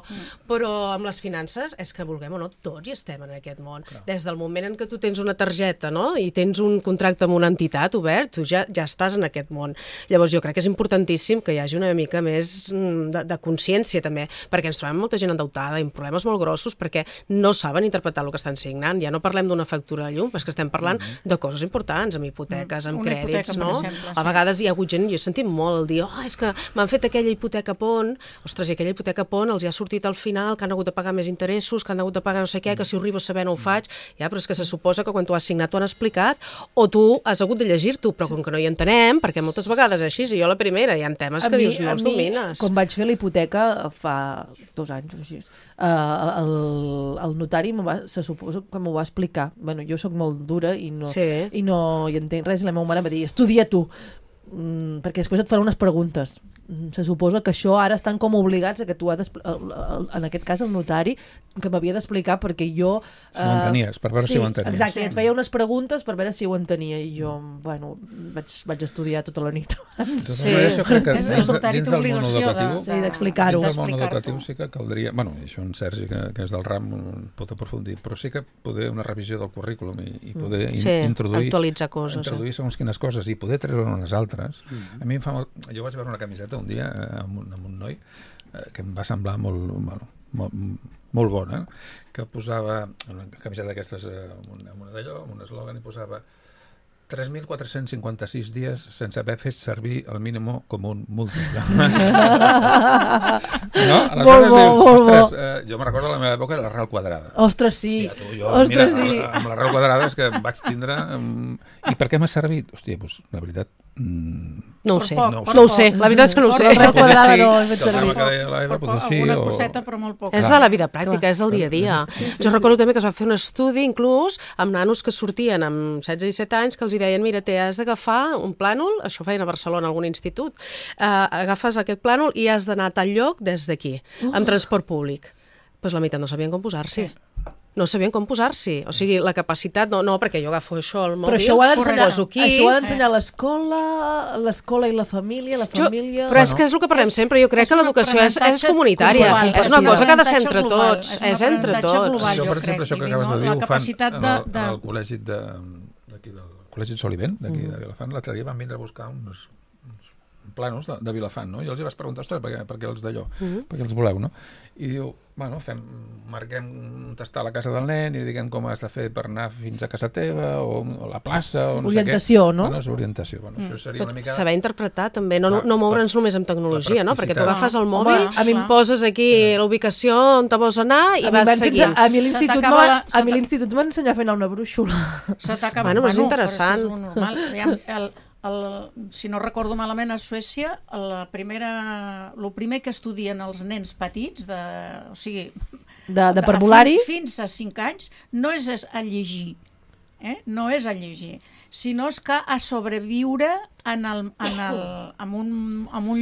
Però amb les finances, és que vulguem o no, tots hi estem en aquest món. Des del moment en què tu tens una targeta, i tens un contracte amb una entitat obert, tu ja estàs en aquest món. Llavors jo crec que és importantíssim que hi hagi una mica més de consciència també, perquè ens trobem molta gent endeutada i amb problemes molt grossos perquè no saben interpretar el que estan signant. Ja no parlem d'una factura de llum, però és que estem parlant de coses importants, amb hipoteques, amb crèdits, no? A vegades hi ha hagut gent, jo he sentit molt el dir, és que m'han fet aquella hipoteca pont, ostres, i aquella hipoteca pont els hi ha sortit al final, que han hagut de pagar més interessos, que han hagut de pagar no sé què, que si ho arribo a saber no ho faig, però és que se suposa que quan tu has signat t'ho han explicat, o tu has hagut de llegir-t'ho, però com que no hi entenem, perquè moltes vegades és així, i jo la primera, hi ha temes que dius, no els domines. Quan vaig fer la hipoteca fa 2 anys o així, el notari se suposa que m'ho va explicar. Bueno, jo sóc molt dura i no hi entenc res, i la meva mare em va dir, estudia tu, perquè després et faran unes preguntes. Se suposa que això ara estan com obligats a que tu en aquest cas el notari, que m'havia d'explicar perquè jo... Si ho entenies, per veure si ho entenies. Exacte, i et feia unes preguntes per veure si ho entenia i jo, vaig estudiar tota la nit abans. Sí, jo crec que dins del món educatiu d'explicar-ho. Dins del món educatiu sí que caldria... Bueno, això en Sergi, que és del ram, pot aprofundir, però sí que poder una revisió del currículum i poder introduir... actualitzar coses. Introduir segons quines coses i poder treure unes altres. A mi em fa molt... Jo vaig veure una camiseta un dia amb un noi que em va semblar molt bona, que posava una camiseta d'aquestes amb un d'allò, amb un eslògan, i posava 3.456 dies sense haver fet servir el mínim comú múltiple. No? Aleshores dius, jo me recordo la meva època de l'arrel quadrada. Ostres, sí. Mira, amb l'arrel quadrada és que em vaig tindre... I per què m'ha servit? Hòstia, doncs, la veritat... No ho sé, no ho sé. La veritat és que no ho sé. L'arrel quadrada no he fet servir. Alguna coseta, però molt poc. És de la vida pràctica, és del dia a dia. Jo recordo també que es va fer un estudi, inclús, amb nanos que sortien amb 16 i 17 anys, que els deien, mira, has d'agafar un plànol, això ho feien a Barcelona, a algun institut, agafes aquest plànol i has d'anar a tal lloc des d'aquí, amb transport públic. Doncs la meitat no sabien com posar-s'hi. No sabien com posar-s'hi. O sigui, la capacitat... No, perquè jo agafo això al mòbil, però això ho ha d'ensenyar l'escola, l'escola i la família, Però és que és el que parlem sempre. Jo crec que l'educació és comunitària. És una cosa que ha de ser entre tots. És entre tots. Això, per exemple, això que acabes de dir, ho fan al col·legi d'aquí del Col·legi Solivent, d'aquí de Vilafant. L'altre dia van vindre a buscar uns planos de Vilafant, no? I els hi vas preguntar, ostres, per què els d'allò? Per què els voleu, no? I diu, bueno, marquem on està la casa del nen i diguem com has de fer per anar fins a casa teva o a la plaça o no sé què. Orientació, no? Bueno, és orientació. Això seria una mica... Saber interpretar també, no moure'ns només amb tecnologia, no? Perquè tu agafes el mòbil, poses aquí la ubicació on te vols anar i vas seguint. A mi l'institut m'ha ensenyat a fer una brúixola. Bueno, és interessant. Si no recordo malament, a Suècia el primer que estudien els nens petits de parvulari fins a 5 anys no és a llegir, no és a llegir, sinó és que a sobreviure en un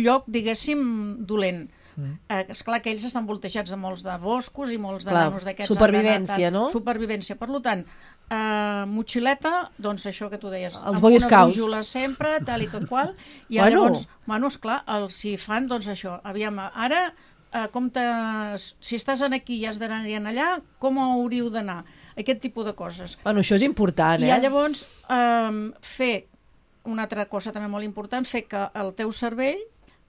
lloc, diguéssim, dolent. Esclar que ells estan voltejats de molts de boscos i molts de nanos d'aquests. Supervivència, no? Supervivència. Per tant, motxileta, doncs això que tu deies, els Boy Scouts, amb una brúixola sempre, tal i que qual, i llavors, esclar, els hi fan, doncs això, aviam, ara, si estàs aquí i has d'anar allà, com hauríeu d'anar? Aquest tipus de coses. Bueno, això és important, I llavors, fer una altra cosa també molt important, fer que el teu cervell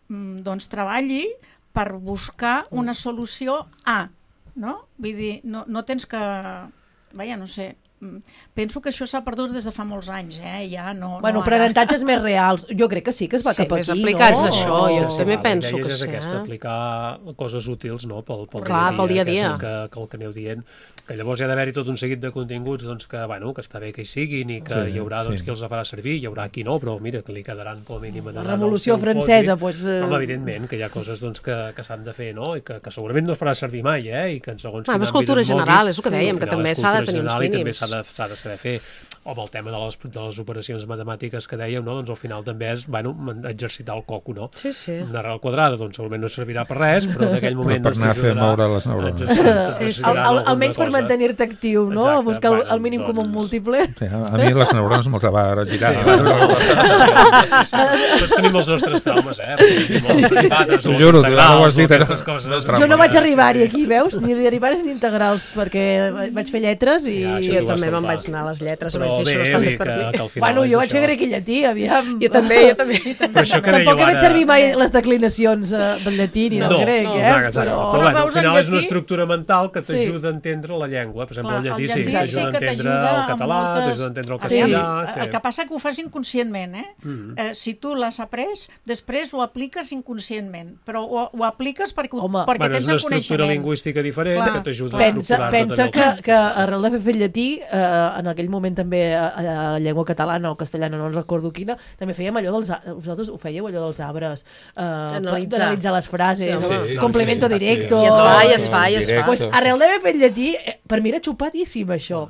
doncs treballi per buscar una solució A, no? Vull dir, no tens que... Vaja, no sé, penso que això s'ha perdut des de fa molts anys, ja no... Bueno, aprenentatges més reals, jo crec que sí que es va cap aquí, no? Sí, més aplicats això, jo també penso que sí. És aquesta, aplicar coses útils, no?, pel dia a dia. Que el que aneu dient, que llavors hi ha d'haver-hi tot un seguit de continguts, doncs que està bé que hi siguin i que hi haurà qui els farà servir, hi haurà qui no, però mira, que li quedaran com a mínim... La Revolució Francesa, doncs... Home, evidentment, que hi ha coses que s'han de fer, no?, i que segurament no es farà servir mai, i que en segons quin àmbit... És cultura general, és el que dèiem, que també s'ha de tenir uns mínims. S'ha de saber fer, o amb el tema de les operacions matemàtiques que dèiem, no? Doncs al final també és, exercitar el coco, no? Sí. Una arrel quadrada, doncs segurament no servirà per res, però en aquell moment... Per anar a fer moure les neurones. Almenys per mantenir-te actiu, no? Buscar el mínim comú múltiple. Sí, a mi les neurones me'ls va girar. Tots tenim els nostres traumes, T'ho juro, ara ho has dit. Jo no vaig arribar-hi aquí, veus? Ni derivares ni integrals, perquè vaig fer lletres i... Jo també me'n vaig anar a les lletres, però bé, bueno, jo vaig fer grec i llatí, aviam. Jo també. Tampoc he fet servir mai les declinacions del llatí ni del grec, però al final és una estructura mental que t'ajuda a entendre la llengua. Per exemple, el llatí sí, t'ajuda a entendre el català, t'ajuda a entendre el castellà. El que passa que ho fas inconscientment, si tu l'has après, després ho apliques inconscientment, però ho apliques perquè tens el coneixement. És una estructura lingüística diferent que t'ajuda a estructurar-te. Pensa que arrel d'haver fet llatí, en aquell moment també a llengua catalana o castellana, no recordo quina, també fèiem allò vosaltres ho fèieu allò dels arbres, d'analitzar les frases, complemento directo. I es fa. Pues arrel d'haver fet llatí, per mi era xupadíssim això.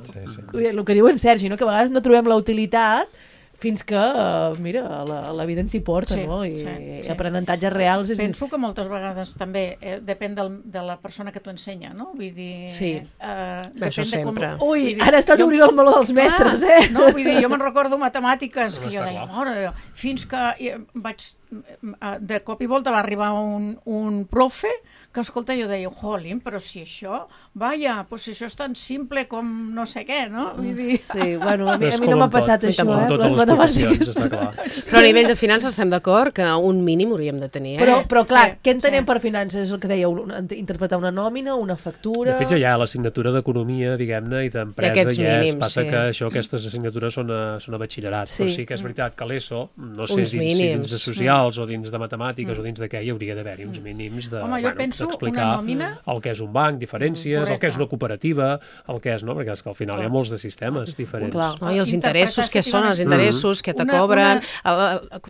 El que diu en Sergi, que a vegades no trobem la utilitat fins que, mira, la vida ens hi porta, no? I aprenentatges reals... Penso que moltes vegades també depèn de la persona que t'ho ensenya, no? Vull dir... Sí, això sempre. Ui, ara estàs obrint el meló dels mestres, No, vull dir, jo me'n recordo matemàtiques que jo deia, mare, fins que vaig... De cop i volta va arribar un profe que, escolta, jo deia, jolín, però si això, doncs si això és tan simple com no sé què, no? Sí, bueno, a mi no m'ha passat això, les professions, està clar. Però a nivell de finances estem d'acord que un mínim hauríem de tenir. Però clar, què entenem per finances? És el que dèieu, interpretar una nòmina, una factura... De fet, ja hi ha l'assignatura d'economia, diguem-ne, i d'empresa, mínims, aquestes assignatures són a batxillerat. Però sí que és veritat que l'ESO, no sé, dins de socials o dins de matemàtiques o dins de què, hi hauria d'haver-hi uns mínims d'explicar el que és un banc, diferències, el que és una cooperativa, el que és, no? Perquè és que al final hi ha molts de sistemes diferents. I els interessos, què són els interessos, què te cobren...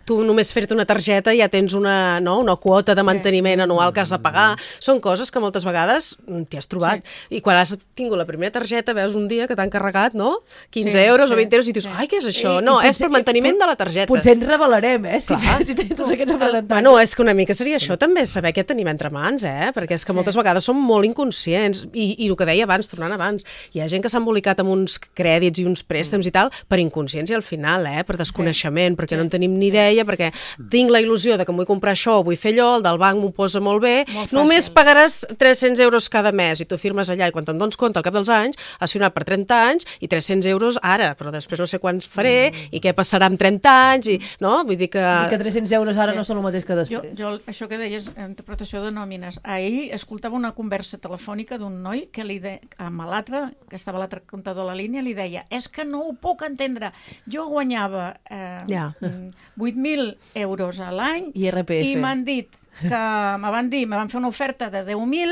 Tu només fer-te una targeta ja tens una quota de manteniment anual que has de pagar. Són coses que moltes vegades t'hi has trobat. I quan has tingut la primera targeta veus un dia que t'han carregat, no? 15 euros o 20 euros i dius, ai, què és això? No, és per manteniment de la targeta. Potser ens revelarem, si tenim tots aquests aprenentatges. Bueno, és que una mica seria això també, saber què tenim entre mans, perquè és que moltes vegades som molt inconscients. I el que deia abans, tornant abans, hi ha gent que s'ha embolicat amb uns crèdits i uns préstecs i tal per inconsciència al final, per desconeixement, perquè no en tenim ni idea, perquè tinc la il·lusió de que em vull comprar això o vull fer allò, el del banc m'ho posa molt bé, només pagaràs 300 euros cada mes i tu firmes allà i quan te'n dones compte al cap dels anys has firmat per 30 anys i 300 euros ara, però després no sé quants faré i què passarà amb 30 anys i, no? Vull dir que... I que 300 euros ara no són el mateix que després. Jo això que deies, interpretació de nòmines, ahir escoltava una conversa telefònica d'un noi que li deia, amb l'altre, que estava l'altre comptador a la línia, li deia, és que no ho puc entendre, jo guanyava 8.000 euros a l'any i m'han dit que me van fer una oferta de 10.000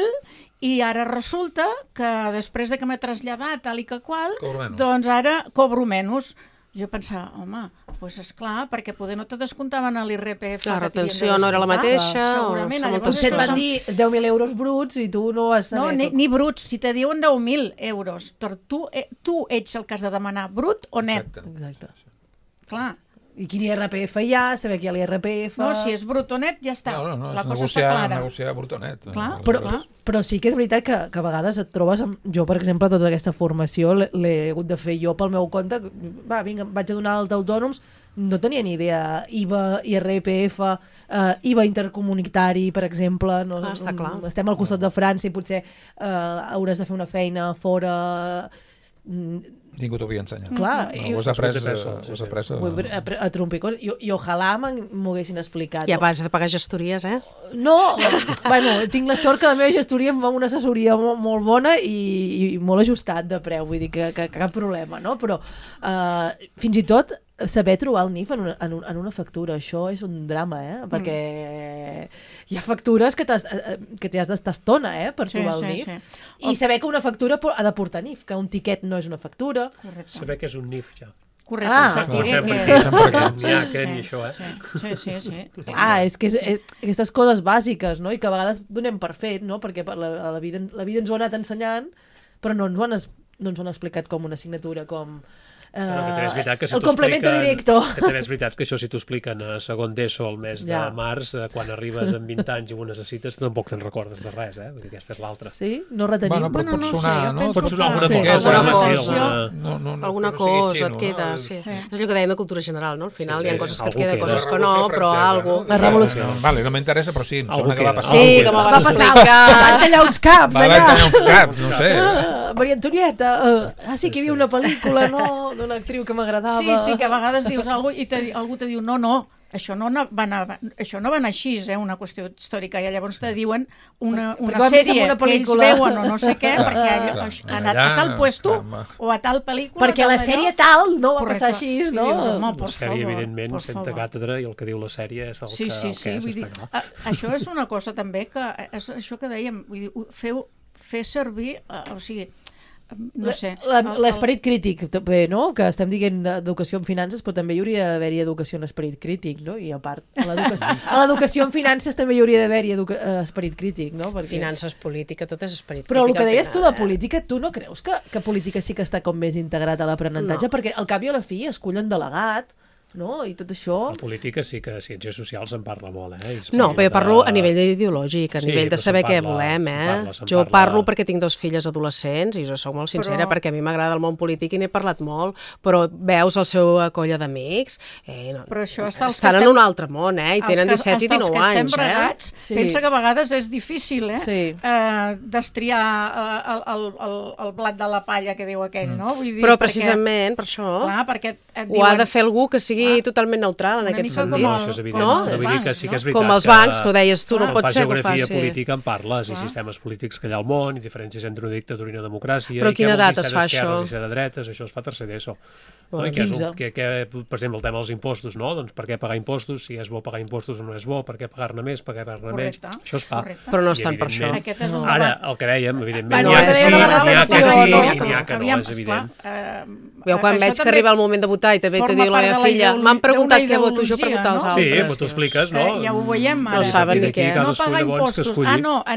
i ara resulta que després de que m'he traslladat tal i que qual, doncs ara cobro menys. Jo pensava, home, doncs esclar, perquè poder no te descomptaven a l'IRPF. La retenció no era la mateixa. Segurament. Potser et van dir 10.000 euros bruts i tu no vas saber... No, ni bruts. Si te diuen 10.000 euros, tu ets el que has de demanar brut o net. Exacte. Clar. I quin IRPF hi ha, saber que hi ha l'IRPF... No, si és brut o net, ja està. No, la cosa està clara. Negociar brut o net. Però sí que és veritat que a vegades et trobes... Jo, per exemple, tota aquesta formació l'he hagut de fer jo pel meu compte. Va, vinga, vaig a donar alta autònoms, no tenia ni idea. IVA, IRPF, IVA intercomunitari, per exemple. Està clar. Estem al costat de França i potser hauràs de fer una feina fora... Ningú t'ho havia ensenyat. Clar. Ho has après a trompicons. I ojalà m'ho haguessin explicat. I a base de pagar gestories, No, bueno, tinc la sort que la meva gestoria em va una assessoria molt bona i molt ajustat de preu, vull dir que cap problema, no? Però fins i tot saber trobar el NIF en una factura, això és un drama, perquè hi ha factures que t'hi has d'estar estona, per trobar el NIF. I saber que una factura ha de portar NIF, que un tiquet no és una factura. Correcte. Saber que és un NIF, ja. Correcte. N'hi ha que ni això, Sí. És que aquestes coses bàsiques, no? I que a vegades donem per fet, no? Perquè la vida ens ho ha anat ensenyant, però no ens ho han explicat com una assignatura, com... el complemento directo. Que també és veritat que això si t'ho expliquen a segon d'ESO al mes de març, quan arribes amb 20 anys i ho necessites, tampoc te'n recordes de res, Vull dir, aquesta és l'altra. Sí? No retenim? Però pot sonar, no? Pot sonar alguna alguna cosa et queda, sí. És allò que dèiem de cultura general, no? Al final hi ha coses que et queden, coses que no, però alguna cosa. La revolució. Vale, no m'interessa, però sí, em sembla que va passar. Sí, que m'ho va explicar. Van tallar uns caps, allà. Van tallar uns caps, no sé. Maria Antonieta, sí que hi havia una pel·lícula, no? D'una actriu que m'agradava. Sí, que a vegades dius alguna cosa i algú te diu no, això no va anar així, una qüestió històrica, i llavors te diuen una sèrie que ells veuen o no sé què, perquè ha anat a tal puesto o a tal pel·lícula... Perquè la sèrie tal no va passar així, no? La sèrie, evidentment, senta càtedra i el que diu la sèrie és el que és, està clar. Això és una cosa també que, és això que dèiem, vull dir, fer servir, o sigui, no sé... L'esperit crític, no? Que estem dient d'educació en finances, però també hi hauria d'haver-hi educació en esperit crític, no? I a part, a l'educació en finances també hi hauria d'haver-hi esperit crític, no? Finances, política, tot és esperit crític. Però el que deies tu de política, tu no creus que política sí que està com més integrat a l'aprenentatge? Perquè al cap i a la fi escullen delegat, no? I tot això... La política sí que a ciències socials se'n parla molt, No, però jo parlo a nivell ideològic, a nivell de saber què volem, Jo parlo perquè tinc 2 filles adolescents i jo soc molt sincera perquè a mi m'agrada el món polític i n'he parlat molt, però veus el seu colla d'amics, estan en un altre món, i tenen 17 i 19 anys. Els que estem bregats, pensa que a vegades és difícil, destriar el blat de la palla que diu aquell, no? Però precisament per això ho ha de fer algú que sigui totalment neutral en aquest sentit. Això és evident. Sí que és veritat com els bancs, que ho deies tu, no pot ser que ho faci. En política en parles, i sistemes polítics que hi ha al món, i diferències entre una dictadura i una democràcia. Però a quina edat es fa això? I ser de dretes, això es fa tercer d'ESO. Per exemple, el tema dels impostos, no? Doncs per què pagar impostos? Si és bo pagar impostos o no és bo? Per què pagar-ne més? Per què pagar-ne menys? Això es fa. Però no estan per això. Ara, el que dèiem, evidentment, n'hi ha que sí, n'hi ha que no, és evident. Jo quan veig que arriba el moment de votar i també te diu la meva filla, m'han preguntat què voto jo per votar els altres. Sí, però t'ho expliques, no? Ja ho veiem ara. No saben ni què. No pagar impostos.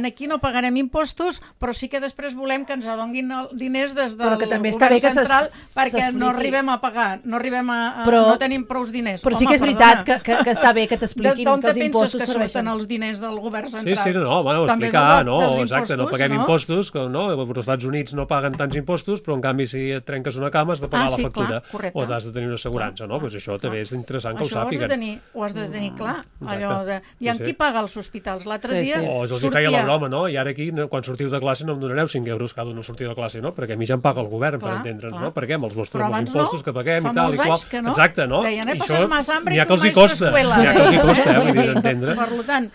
Aquí no pagarem impostos, però sí que després volem que ens adonguin diners des del govern central perquè no arribem a pagar, no tenim prous diners. Però sí que és veritat que està bé que t'expliquin que els impostos serveixen. D'on penses que surten els diners del govern central? Sí, explicar, exacte, no paguem impostos, els Estats Units no paguen tants impostos, però en canvi si et trenques una cama has de pagar la factura o has de tenir una assegurança, no? Això també és interessant que ho sàpiguen. Ho has de tenir clar. I en qui paga els hospitals? L'altre dia els hi feia la broma, no? I ara aquí, quan sortiu de classe, no em donareu 5 euros cada una sortir de classe, no? Perquè a mi ja em paga el govern, per entendre'ns, no? Perquè amb els impostos que paguem i tal i qual. Exacte, no? I això n'hi ha que els hi costa, vull dir, d'entendre. Per tant,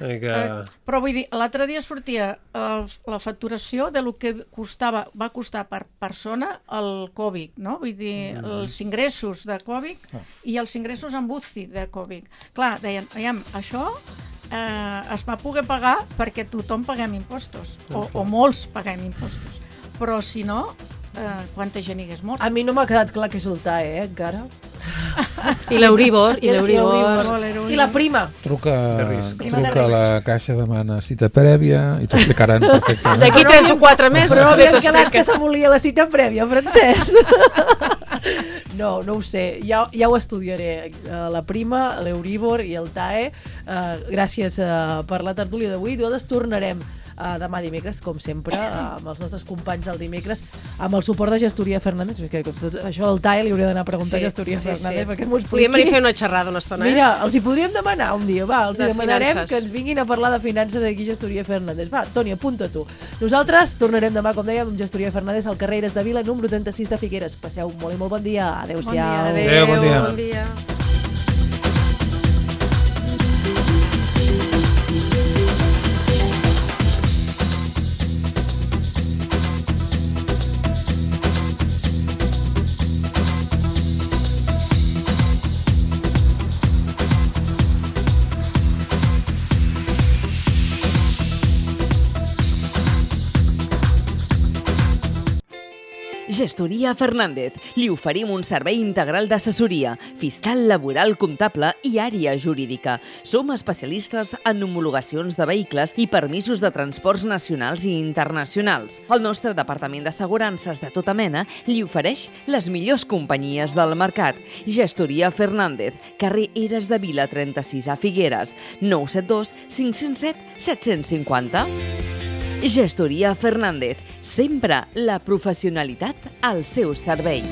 però vull dir, l'altre dia sortia la facturació de lo que va costar per persona el Covid, no? Vull dir, els ingressos de Covid i els ingressos en UCI de Covid. Clar, deien, això es va poder pagar perquè tothom paguem impostos, o molts paguem impostos. Però si no, quanta gent hi hagués mort. A mi no m'ha quedat clar què és el TAE, encara. I l'Euríbor. I la prima. Truca a la caixa, demana cita prèvia i t'ho explicaran perfectament. D'aquí 3 o 4 mesos. Però no havia quedat que se volia la cita prèvia, Francesc. No ho sé. Ja ho estudiaré. La prima, l'Euríbor i el TAE. Gràcies per la tertúlia d'avui. Nosaltres tornarem demà dimecres, com sempre, amb els nostres companys del dimecres, amb el suport de Gestoria Fernández. Això del TAE li hauria d'anar a preguntar a Gestoria Fernández perquè m'ho expliqui. Podríem venir a fer una xerrada una estona. Mira, els hi podríem demanar un dia, els hi demanarem que ens vinguin a parlar de finances aquí a Gestoria Fernández. Toni, apunta tu. Nosaltres tornarem demà, com dèiem, amb Gestoria Fernández al carrer Eres de Vila, número 36 de Figueres. Passeu molt i molt bon dia. Adéu-siau. Bon dia. Gestoria Fernández. Li oferim un servei integral d'assessoria, fiscal, laboral, comptable i àrea jurídica. Som especialistes en homologacions de vehicles i permisos de transports nacionals i internacionals. El nostre departament d'assegurances de tota mena li ofereix les millors companyies del mercat. Gestoria Fernández, carrer Eres de Vila 36 a Figueres, 972 507 750. Gestoria Fernández, sempre la professionalitat al seu servei.